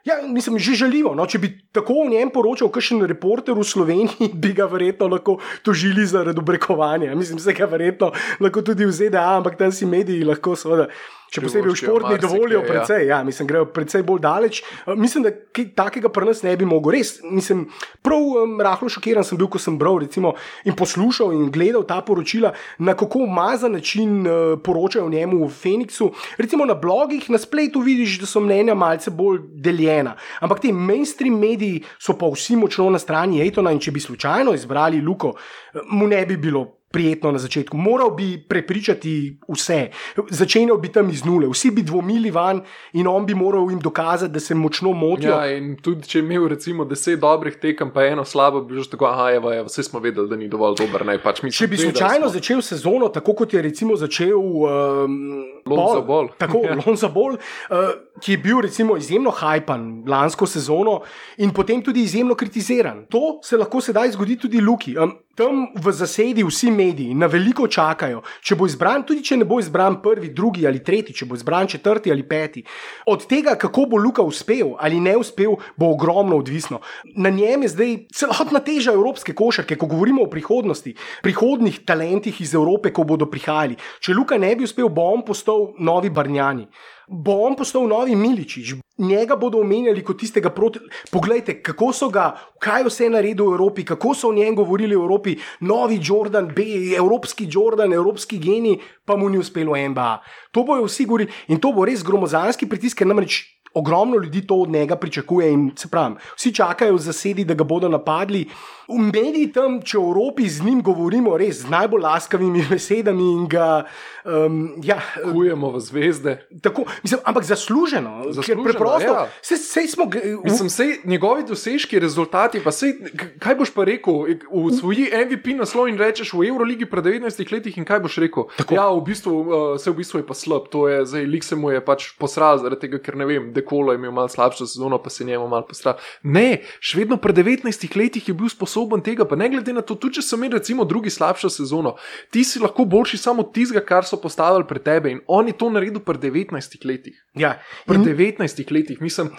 Ja, mislim, že žaljivo. No? Če bi tako o njem poročal kakšen reporter v Sloveniji, bi ga verjetno lahko tožili zaradi obrekovanja. Mislim, se ga verjetno lahko tudi v ZDA, ampak tam si mediji lahko seveda, še posebej v športni dovolijo precej. Ja, mislim, grejo precej bolj daleč. Mislim, da kaj takega pri nas ne bi mogel. Res, mislim, prav rahlo šokiran sem bil, ko sem bral recimo in poslušal in gledal ta poročila, na kako umazan način poročajo o njemu v Phoenixu. Recimo na blogih, na spletu vidiš, da so mnenja malce bolj deljena. Ampak ti mainstream mediji so pa vsi močno na strani Aytona in če bi slučajno izbrali Luko, mu ne bi bilo prijetno na začetku. Moral bi prepričati vse. Začenjal bi tam iz nule. Vsi bi dvomili van in on bi moral jim dokazati, da se močno motijo. Ja, in tudi če je imel recimo 10 dobrih tekem, pa eno slabo, bi že tako, evo, vse smo vedeli, da ni dovolj dober. Če bi slučajno začel sezono, tako kot je recimo začel Lonzo Ball, ki je bil recimo izjemno hajpan lansko sezono in potem tudi izjemno kritiziran. To se lahko sedaj zgodi tudi Luki. Tam v zasedi vsi mediji na veliko čakajo, če bo izbran, tudi če ne bo izbran prvi, drugi ali tretji, če bo izbran četrti ali peti. Od tega, kako bo Luka uspel ali ne uspel, bo ogromno odvisno. Na njem je zdaj celotna teža evropske košarke, ko govorimo o prihodnosti, prihodnih talentih iz Evrope, ko bodo prihajali. Če Luka ne bi uspel, bo on postal novi Bargnani. Bo on postal novi Miličić, njega bodo omenjali kot tistega proti... Poglejte, kako so ga, kaj vse naredil v Evropi, kako so o njem govorili v Evropi, novi Jordan B, evropski Jordan, evropski genij, pa mu ni uspelo NBA. To bojo vsi govorili in to bo res gromozanski pritisk, ker namreč ogromno ljudi to od njega pričakuje in se pravim, vsi čakajo v zasedi, da ga bodo napadli. V mediji tam, če v Evropi z njim govorimo res z najbolj laskavimi besedami in ga kujemo v zvezde. Tako, mislim, ampak zasluženo, ker preprosto ja. Sej smo mislim, sej njegovi dosežki, rezultati, pa sej, kaj boš pa rekel, v svoji MVP naslov in rečeš v Euroligi pred 19 letih in kaj boš rekel? Tako. Ja, v bistvu je pa slab, to je, zdaj lik se mu je pač posral zaradi tega, ker ne vem, Dekolo je imel malo slabšo sezono, pa se njemu malo posral. Ne, še vedno pred 19 letih je bil sposoben tega, pa ne glede na to, tudi če so imeli recimo drugi slabšo sezono, ti si lahko boljši samo tistega, kar so postavili pred tebe in on je to naredil pred 19 letih. Ja. Pred 19 letih, mislim,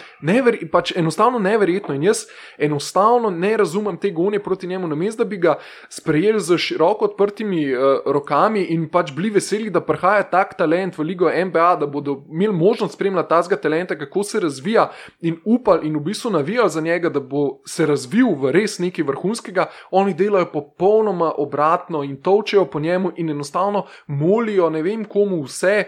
pač enostavno neverjetno in jaz enostavno ne razumem te gonje proti njemu, namesto da bi ga sprejeli z široko odprtimi rokami in pač bili veseli, da prihaja tak talent v ligo NBA, da bodo imeli možnost spremljati tazga talenta, kako se razvija in upali in v bistvu navijali za njega, da bo se razvil v res nekaj vrhunskega, oni delajo popolnoma obratno in tolčejo po njemu in enostavno molijo ne vem komu vse,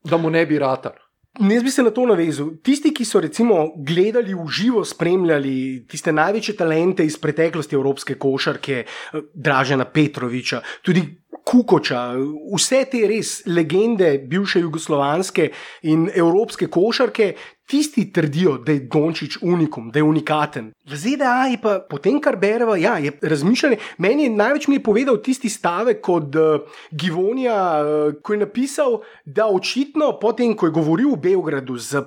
da mu ne bi ratar. Jaz bi se na to navezal. Tisti, ki so recimo gledali v živo, spremljali tiste največje talente iz preteklosti evropske košarke, Dražena Petrovića, tudi Kukoča, vse te res legende bivše jugoslovanske in evropske košarke, tisti trdijo, da je Dončić unikum, da je unikaten. V ZDA je pa potem, kar bereva, ja, je razmišljanje. Meni je največ mi je povedal tisti stavek od Givonija, ko je napisal, da očitno potem, ko je govoril v Beogradu z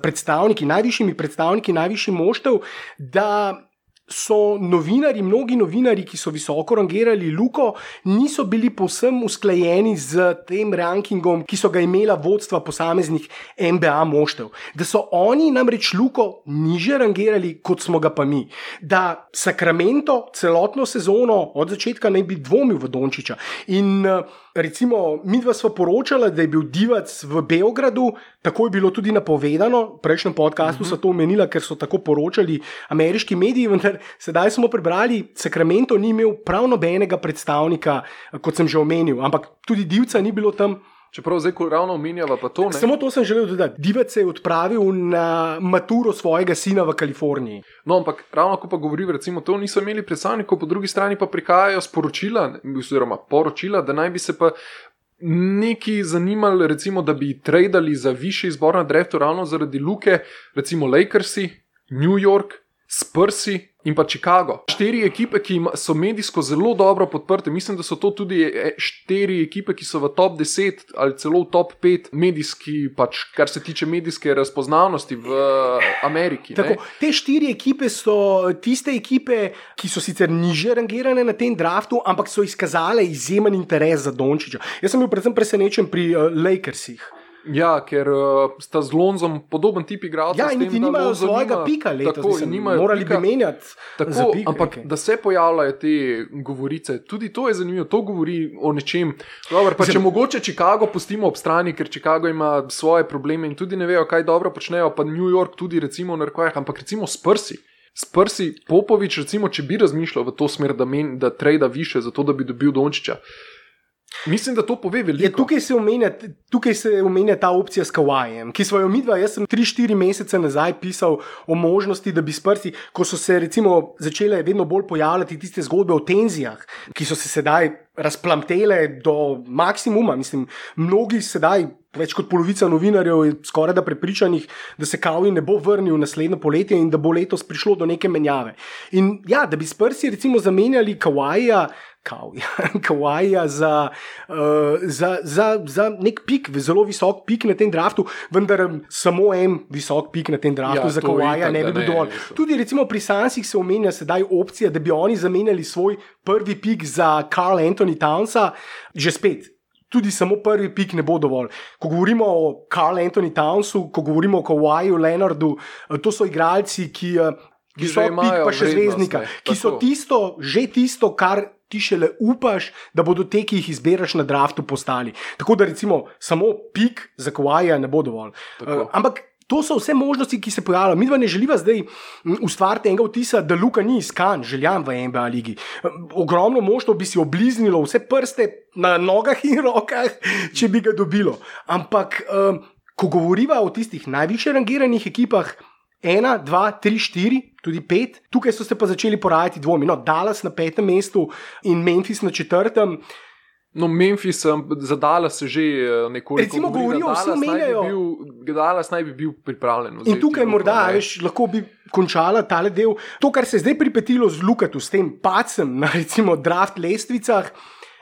najvišjimi predstavniki najvišjih moštev, da so mnogi novinari, ki so visoko rangirali Luko, niso bili povsem usklajeni z tem rankingom, ki so ga imela vodstva posameznih NBA moštev. Da so oni namreč Luko niže rangirali, kot smo ga pa mi. Da Sacramento celotno sezono od začetka naj bi dvomil v Dončića. In recimo, midva sva poročala, da je bil Divac v Beogradu, tako je bilo tudi napovedano, v prejšnjem podcastu so to omenila, ker so tako poročali ameriški mediji, vendar sedaj smo prebrali, Sacramento ni imel prav nobenega predstavnika, kot sem že omenil, ampak tudi Divca ni bilo tam. Čeprav zdaj, ko ravno omenjava pa to, ne? Samo to sem želel dodati. Divac se je odpravil na maturo svojega sina v Kaliforniji. No, ampak ravno ko pa govori, recimo, to niso imeli predstavnikov, po drugi strani pa prihajajo sporočila, oziroma poročila, da naj bi se pa neki zanimali, recimo, da bi tradali za višji izbor na draftu ravno zaradi Luke, recimo Lakersi, New York, Spursi in pa Chicago. 4 ekipe, ki so medijsko zelo dobro podprte. Mislim, da so to tudi 4 ekipe, ki so v top 10 ali celo v top 5 medijski, pač kar se tiče medijske razpoznavnosti v Ameriki. Tako, te 4 ekipe so tiste ekipe, ki so sicer niže rangirane na tem draftu, ampak so izkazale izjemen interes za Dončića. Jaz sem bil predvsem presenečen pri Lakersih. Ja, ker sta z Lonzom podoben tip igralcev. Ja, in niti nimajo svojega pika letos. Tako, morali bi menjati za pik. Ampak da se pojavljajo te govorice, tudi to je zanimivo, to govori o nečem. Dobar, pa če mogoče Chicago pustimo ob strani, ker Chicago ima svoje probleme in tudi ne vejo, kaj dobro počnejo, pa New York tudi recimo v narkojah, ampak recimo Spursi. Spursi, Popovič, recimo, če bi razmišljal v to smer, da trejda više za to, da bi dobil Dončića. Mislim, da to pove veliko. Tukaj se omenja ta opcija s Kawajem, ki smo jo midva, jaz sem 3-4 mesece nazaj pisal o možnosti, da bi Spursi, ko so se recimo začele vedno bolj pojavljati tiste zgodbe o tenzijah, ki so se sedaj razplamtele do maksimuma. Mislim, mnogi sedaj, več kot polovica novinarjev je skoraj da prepričanih, da se Kawhi ne bo vrnil naslednje poletje in da bo letos prišlo do neke menjave. In ja, da bi Spursi recimo zamenjali Kawhija za nek pik, zelo visok pik na tem draftu, vendar samo en visok pik na tem draftu za Kawhija ne bi bil dovolj. Tudi recimo pri Sunsih se omenja sedaj opcija, da bi oni zamenjali svoj prvi pik za Karl Anthony Townsa, že spet. Tudi samo prvi pik ne bo dovolj. Ko govorimo o Karl Anthony Townsu, ko govorimo o Kawhiju Leonardu, to so igralci, ki so pik pa še zvezdnika, ki so tisto, kar ti šele upaš, da bodo te, ki jih izberaš na draftu, postali. Tako da recimo samo pik za Kawhija ne bo dovolj. Ampak to so vse možnosti, ki se pojavljajo. Mi dva ne želiva zdaj ustvariti enega vtisa, da Luka ni iskan, željan v NBA ligi. Ogromno moštvo bi si obliznilo vse prste na nogah in rokah, če bi ga dobilo. Ampak ko govoriva o tistih najvišje rangiranih ekipah, 1, 2, 3, 4, tudi 5. Tukaj so se pa začeli porajati dvomi. No, Dallas na 5. mestu in Memphis na 4. No, Memphis za Dallas se že nekoliko recimo govorijo, vsi omenjajo. Dallas naj bi bil pripravljen. In tukaj morda, lahko bi končala tale del. To, kar se je zdaj pripetilo z Lukatu, s tem pacem na recimo draft lestvicah,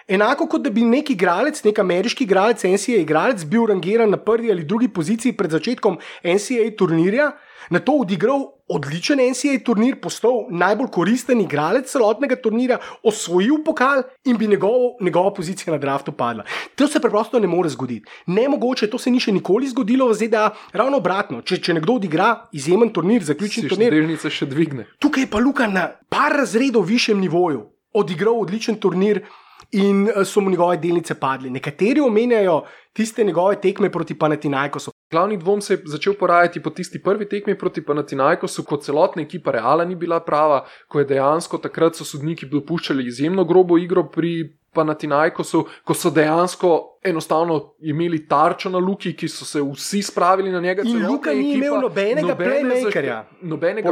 enako kot da bi nek igralec, nek ameriški igralec, NCAA igralec, bil rangiran na prvi ali drugi poziciji pred začetkom NCAA turnirja, na to odigral odličen NCAA turnir, postal najbolj koristen igralec celotnega turnira, osvojil pokal in bi njegova pozicija na draftu padla. To se preprosto ne more zgoditi. Nemogoče, to se ni še nikoli zgodilo v ZDA, ravno obratno. Če nekdo odigra izjemen turnir, zaključen turnir, delnice še dvigne. Tukaj je pa Luka na par razredov višjem nivoju odigral odličen turnir in so mu njegove delnice padli. Nekateri omenjajo tiste njegove tekme proti Panathinaikosu. Glavni dvom se je začel porajati po tisti prvi tekmi proti Panathinaikosu, ko celotna ekipa Reala ni bila prava, ko je dejansko takrat so sodniki dopuščali izjemno grobo igro pri Panathinaikosu, ko so dejansko enostavno imeli tarčo na Luki, ki so se vsi spravili na njega. In Luka ni imel nobenega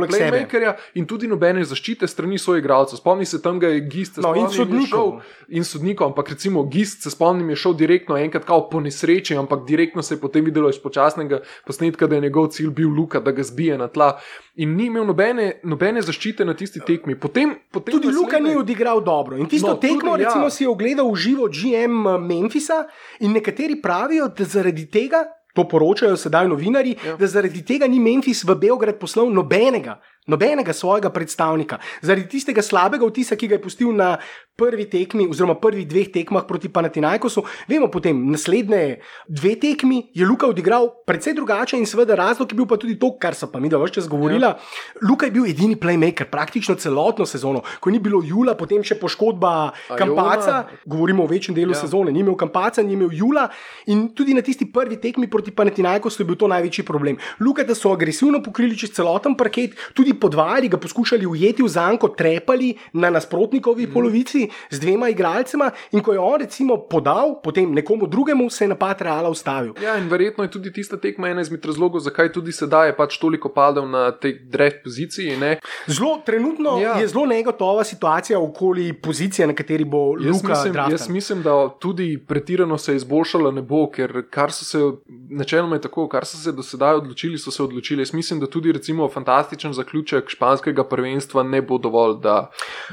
playmakerja in tudi nobene zaščite strani svojih igralcev. Spomni se tam, ga je Gist in sodnikov, ampak recimo Gist, se spomnim, je šel direktno enkrat kao po nesreči, ampak direktno se je potem videlo iz počasnega posnetka, da je njegov cilj bil Luka, da ga zbije na tla. In ni imel nobene zaščite na tisti tekmi. Potem tudi Luka ni odigral dobro. In tisto tekmo recimo si je ogledal v živo GM Memphisa in nekateri pravijo, da zaradi tega, to poročajo sedaj novinarji, da zaradi tega ni Memphis v Beograd poslal nobenega svojega predstavnika. Zaradi tistega slabega vtisa, ki ga je pustil na prvi tekmi oziroma prvih 2 tekmah proti Panathinaikosu. Vemo potem, naslednje 2 tekmi je Luka odigral precej drugače in seveda razlog je bil pa tudi to, kar so pa mi da več čas govorila. Luka je bil edini playmaker praktično celotno sezono. Ko ni bilo Jula, potem še poškodba Campaca, govorimo o večjem delu sezone, ni imel Campaca, ni imel Jula in tudi na tisti prvi tekmi proti Panathinaikosu je bil to največji problem. Luka, da so agresivno pokrili čez celoten parket, tudi podvajali, ga poskušali ujeti v zanko, trepali na nasprotnikovi polovici z 2 igralcema in ko je on recimo podal, potem nekomu drugemu se je napad Reala ustavil. Ja, in verjetno je tudi tista tekma ena izmed razlogov, zakaj tudi sedaj je pač toliko padel na tej draft poziciji. Ne? Trenutno je zelo negotova situacija okoli pozicije, na kateri bo Luka draftan. Jaz mislim, da tudi pretirano se je izboljšala ne bo, ker načeloma je tako, kar so se do sedaj odločili, so se odločili. Jaz mislim, da tudi recimo fantastičen zaključek zaključek španskega prvenstva ne bo dovolj, da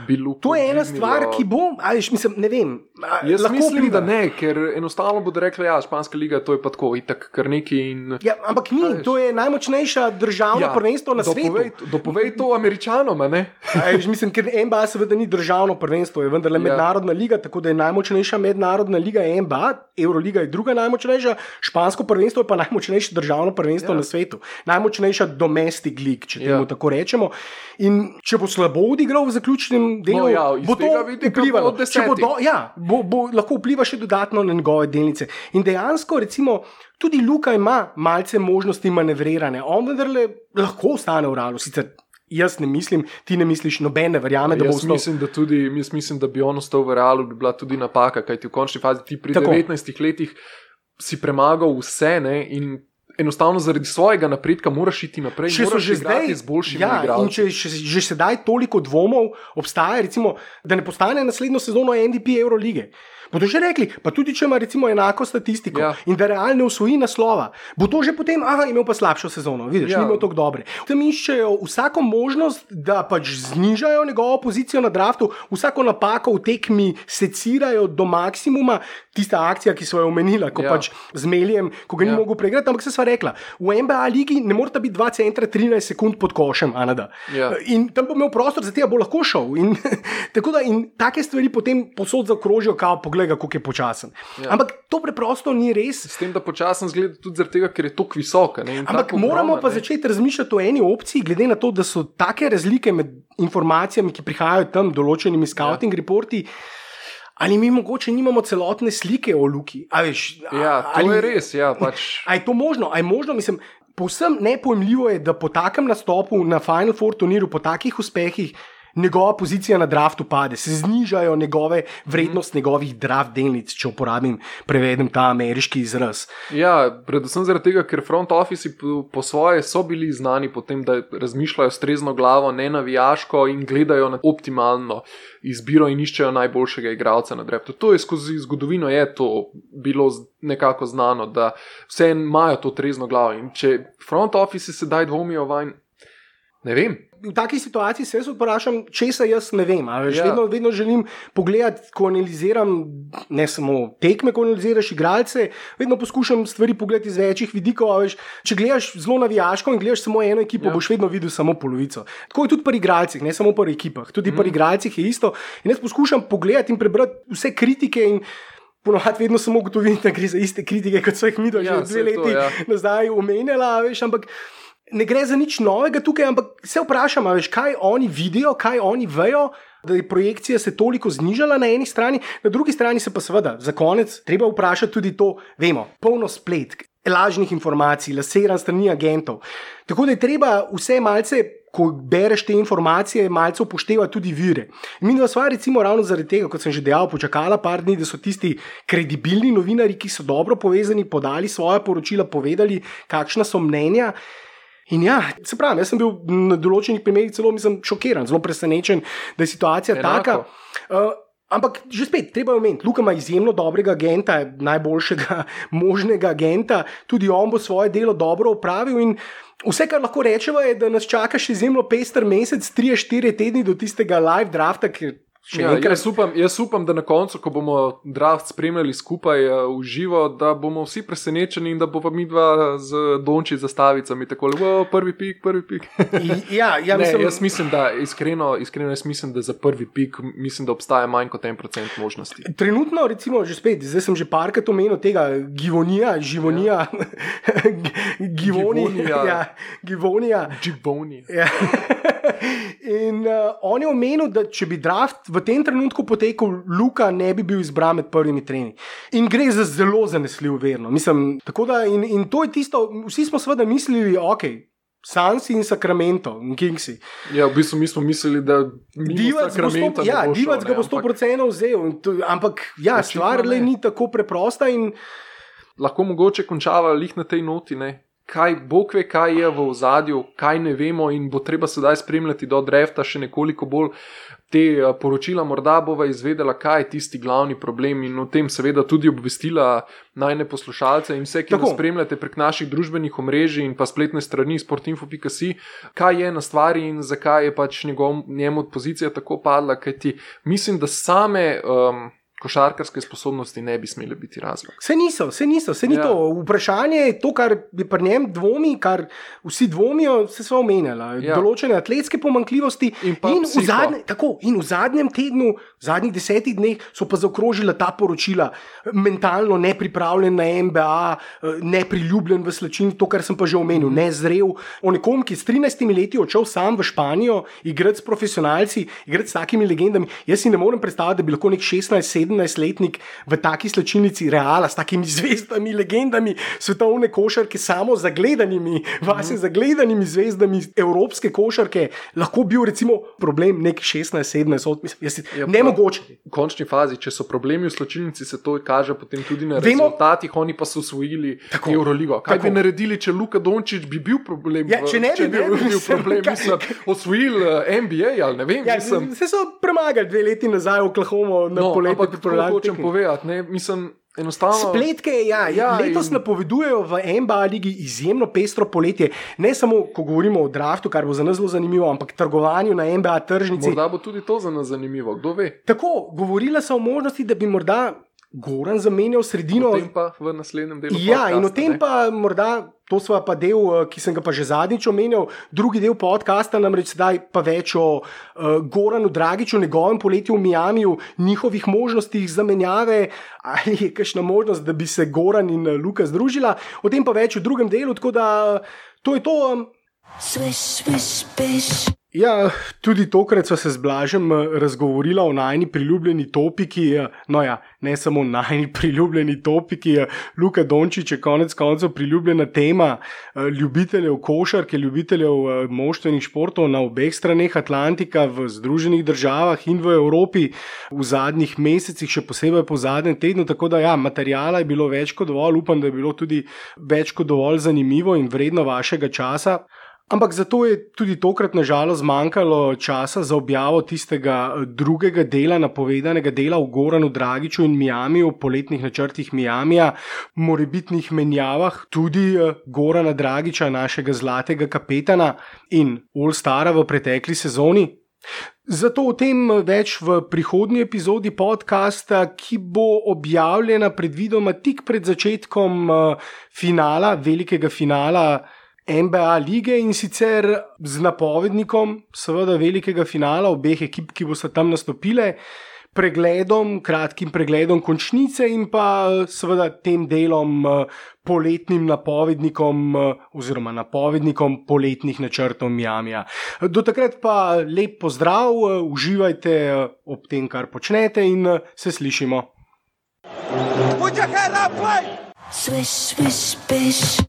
bi Luko. To je ena stvar, ki bo, mislim, ne vem. Jaz mislim, da ne, ker enostavno bodo rekli, ja, španska liga, to je pa tako, itak kar neki in... Ja, ampak ni, to je najmočnejša državno prvenstvo na svetu. Dopovej to Američanom, ne? Mislim, ker NBA seveda ni državno prvenstvo, je vendarle mednarodna liga, tako da je najmočnejša mednarodna liga NBA, Euroliga je druga najmočnejša, špansko prvenstvo je pa najmočnejše državno prvenstvo na svetu. Najmočnejša domestic league, če temu tako rečemo. In če bo slabo odigral v zaključnem delu, bo to vplivalo. Bo lahko vpliva še dodatno na njegove delnice. In dejansko, recimo, tudi Luka ima malce možnosti manevriranja. On vendarle lahko ostane v Realu, sicer jaz ne mislim, ti ne misliš, noben ne verjame, da bo ostal. Jaz mislim, da bi on ostal v Realu, bi bila tudi napaka, kajti v končni fazi ti pri 19 letih si premagal vse, ne, in enostavno zaradi svojega napredka moraš iti naprej, moraš igrati z boljšimi igralci. In če že sedaj toliko dvomov obstaja, recimo, da ne postane naslednjo sezono MVP Eurolige, bodo že rekli, pa tudi če ima recimo enako statistiko in da Real ne osvoji naslova, bo to že potem, imel pa slabšo sezono, vidiš, ni imel tako dobre. Tam iščejo vsako možnost, da pač znižajo njegovo pozicijo na draftu, vsako napako v tekmi secirajo do maksimuma, tista akcija, ki so jo omenila, ko pač z Melijem, ko ga ni mogel preigrati, ampak se sva rekla, v NBA ligi ne morata biti 2 centra 13 sekund pod košem, in tam bo imel prostor, za tega bo lahko šel. In tako da in take stvari potem posod zaokrožijo, kao pogleda, kako je počasen. Ampak to preprosto ni res. S tem, da počasen zgleda tudi zaradi tega, ker je toliko visoka. Ampak moramo pa začeti razmišljati o eni opciji, glede na to, da so take razlike med informacijami, ki prihajajo tam, določenimi scouting reporti, ali mi mogoče nimamo celotne slike o Luki. To je res, pač. A je to možno? A je možno, mislim, povsem nepojmljivo je, da po takem nastopu na Final Four turnirju, po takih uspehih, njegova pozicija na draftu pade, se znižajo njegove vrednost njegovih draft delnic, če prevedem ta ameriški izraz. Ja, predvsem zaradi tega, ker front office po svoje so bili znani po tem, da razmišljajo s trezno glavo, ne navijaško in gledajo na optimalno izbiro in iščejo najboljšega igralca na draftu. To je skozi zgodovino je to bilo nekako znano, da vse imajo to trezno glavo in če front office sedaj dvomijo vanj, ne vem. V takej situaciji se jaz vprašam, česa jaz ne vem. Vedno želim pogledati, ko analiziram, ne samo tekme, ko analiziraš igralce, vedno poskušam stvari pogledati iz večjih vidikov. Če gledaš zelo navijaško in gledaš samo eno ekipo, boš vedno videl samo polovico. Tako je tudi pri igralcih, ne samo pri ekipah. Tudi pri igralcih je isto. In jaz poskušam pogledati in prebrati vse kritike in ponovadi vedno samo ugotovim, da gre za iste kritike, kot so jih mi že 2 leti nazaj omenjala, ampak ne gre za nič novega tukaj, ampak se vprašam, kaj oni vidijo, kaj oni vejo, da je projekcija se toliko znižala na eni strani, na drugi strani se pa seveda za konec treba vprašati tudi to, vemo, polno spletk, lažnih informacij, laseran strani agentov. Tako da je treba vse malce, ko bereš te informacije, malce upoštevati tudi vire. Mi dva sva recimo ravno zaradi tega, kot sem že dejal, počakala par dni, da so tisti kredibilni novinari, ki so dobro povezani, podali svoje poročila, povedali, kakšna so mnenja. In se pravi, jaz sem bil na določenih primerih celo šokiran, zelo presenečen, da je situacija taka. Ampak že spet, treba je omeniti, Luka ima izjemno dobrega agenta, najboljšega možnega agenta, tudi on bo svoje delo dobro opravil in vse, kar lahko rečemo, je, da nas čaka še izjemno pester mesec, 3-4 tedni do tistega live drafta, ker jaz upam, da na koncu, ko bomo draft spremljali skupaj v živo, da bomo vsi presenečeni in da bo pa midva z Donči zastavicami tako, prvi pik. Jaz mislim, da iskreno jaz mislim, da za prvi pik mislim, da obstaja manj kot 1% možnosti. Trenutno, recimo, že spet, zdaj sem že parkrat omenil tega Givonija. In on je omenil, da če bi draft v tem trenutku potekel, Luka ne bi bil izbran med prvimi tremi. In gre za zelo zanesljiv verno. Mislim, tako da in to je tisto, vsi smo seveda mislili, Sansi in Sacramento in Kingsi. Ja, v bistvu mi smo mislili, da Divac ga bo 100% vzel, ampak stvar ni tako preprosta in lahko mogoče končava lih na tej noti, ne? Bog ve, kaj je v ozadju, kaj ne vemo in bo treba sedaj spremljati do drafta še nekoliko bolj te poročila, morda bova izvedela, kaj je tisti glavni problem in o tem seveda tudi obvestila najne poslušalce in vse, ki nas spremljate prek naših družbenih omrežij in pa spletne strani sportinfo.si, kaj je na stvari in zakaj je pač njemu pozicija tako padla, kajti mislim, da same košarkarske sposobnosti ne bi smele biti razlog. Se ni to. Vprašanje je to, kar je pri njem dvomi, kar vsi dvomijo, se sva omenjala. Določene atletske pomanjkljivosti in v zadnjem tednu, v zadnjih 10 dneh so pa zaokrožila ta poročila. Mentalno nepripravljen na NBA, nepriljubljen v slačini, to, kar sem pa že omenil, nezrel. O nekom, ki s 13 leti odšel sam v Španijo, igrati s profesionalci, igrati s takimi legendami. Jaz si ne morem predstavljati, da bi lahko nek 16-17-letnik v taki slačilnici Reala s takimi zvezdami, legendami svetovne košarke, samo zagledanimi, zagledanimi zvezdami evropske košarke, lahko bil recimo problem nek 16-17, nemogoče. V končni fazi, če so problemi v slačilnici, se to kaže potem tudi na rezultatih, oni pa so osvojili Euroligo. Kaj bi naredili, če Luka Dončić bi bil problem? Če ne bi bil problem, osvojil NBA, ali ne vem. Se so premagali 2 leti nazaj v Oklahomo na poletje. To hočem povedati, ne, mislim, enostavno. Spletke, letos napovedujejo v NBA ligi izjemno pestro poletje. Ne samo, ko govorimo o draftu, kar bo za nas zelo zanimivo, ampak trgovanju na NBA tržnici. Morda bo tudi to za nas zanimivo, kdo ve. Tako, govorila so o možnosti, da bi morda Goran zamenjal sredino. O tem pa v naslednjem delu podcasta. Ja, in o tem pa morda, to sva pa del, ki sem ga pa že zadnjič omenjal, drugi del podcasta, namreč sedaj pa več o Goranu Dragiću, njegovem poletju v Miamiju, njihovih možnostih zamenjave, ali je kakšna možnost, da bi se Goran in Luka združila. O tem pa več v drugem delu, tako da to je to. Swish, swish, bish. Ja, tudi tokrat sva se z Blažem razgovorila o najni priljubljeni topiki, ne samo najni priljubljeni topiki, Luka Dončić je konec koncev priljubljena tema ljubiteljev košarke, ljubiteljev moštvenih športov na obeh straneh Atlantika, v Združenih državah in v Evropi v zadnjih mesecih, še posebej po zadnjem tednu, tako da materijala je bilo več kot dovolj, upam, da je bilo tudi več kot dovolj zanimivo in vredno vašega časa. Ampak zato je tudi tokrat nažalost zmanjkalo časa za objavo tistega drugega dela, napovedanega dela o Goranu Dragiću in Miamiju, poletnih načrtih Miamija, morebitnih menjavah tudi Gorana Dragića, našega zlatega kapetana in All-Stara v pretekli sezoni. Zato o tem več v prihodnji epizodi podcasta, ki bo objavljena predvidoma tik pred začetkom finala, velikega finala NBA lige in sicer z napovednikom seveda velikega finala obeh ekip, ki bosta tam nastopile, kratkim pregledom končnice in pa seveda tem delom poletnim napovednikom oziroma napovednikom poletnih načrtov Miamija. Do takrat pa lep pozdrav, uživajte ob tem, kar počnete in se slišimo. Swish, swish, bish.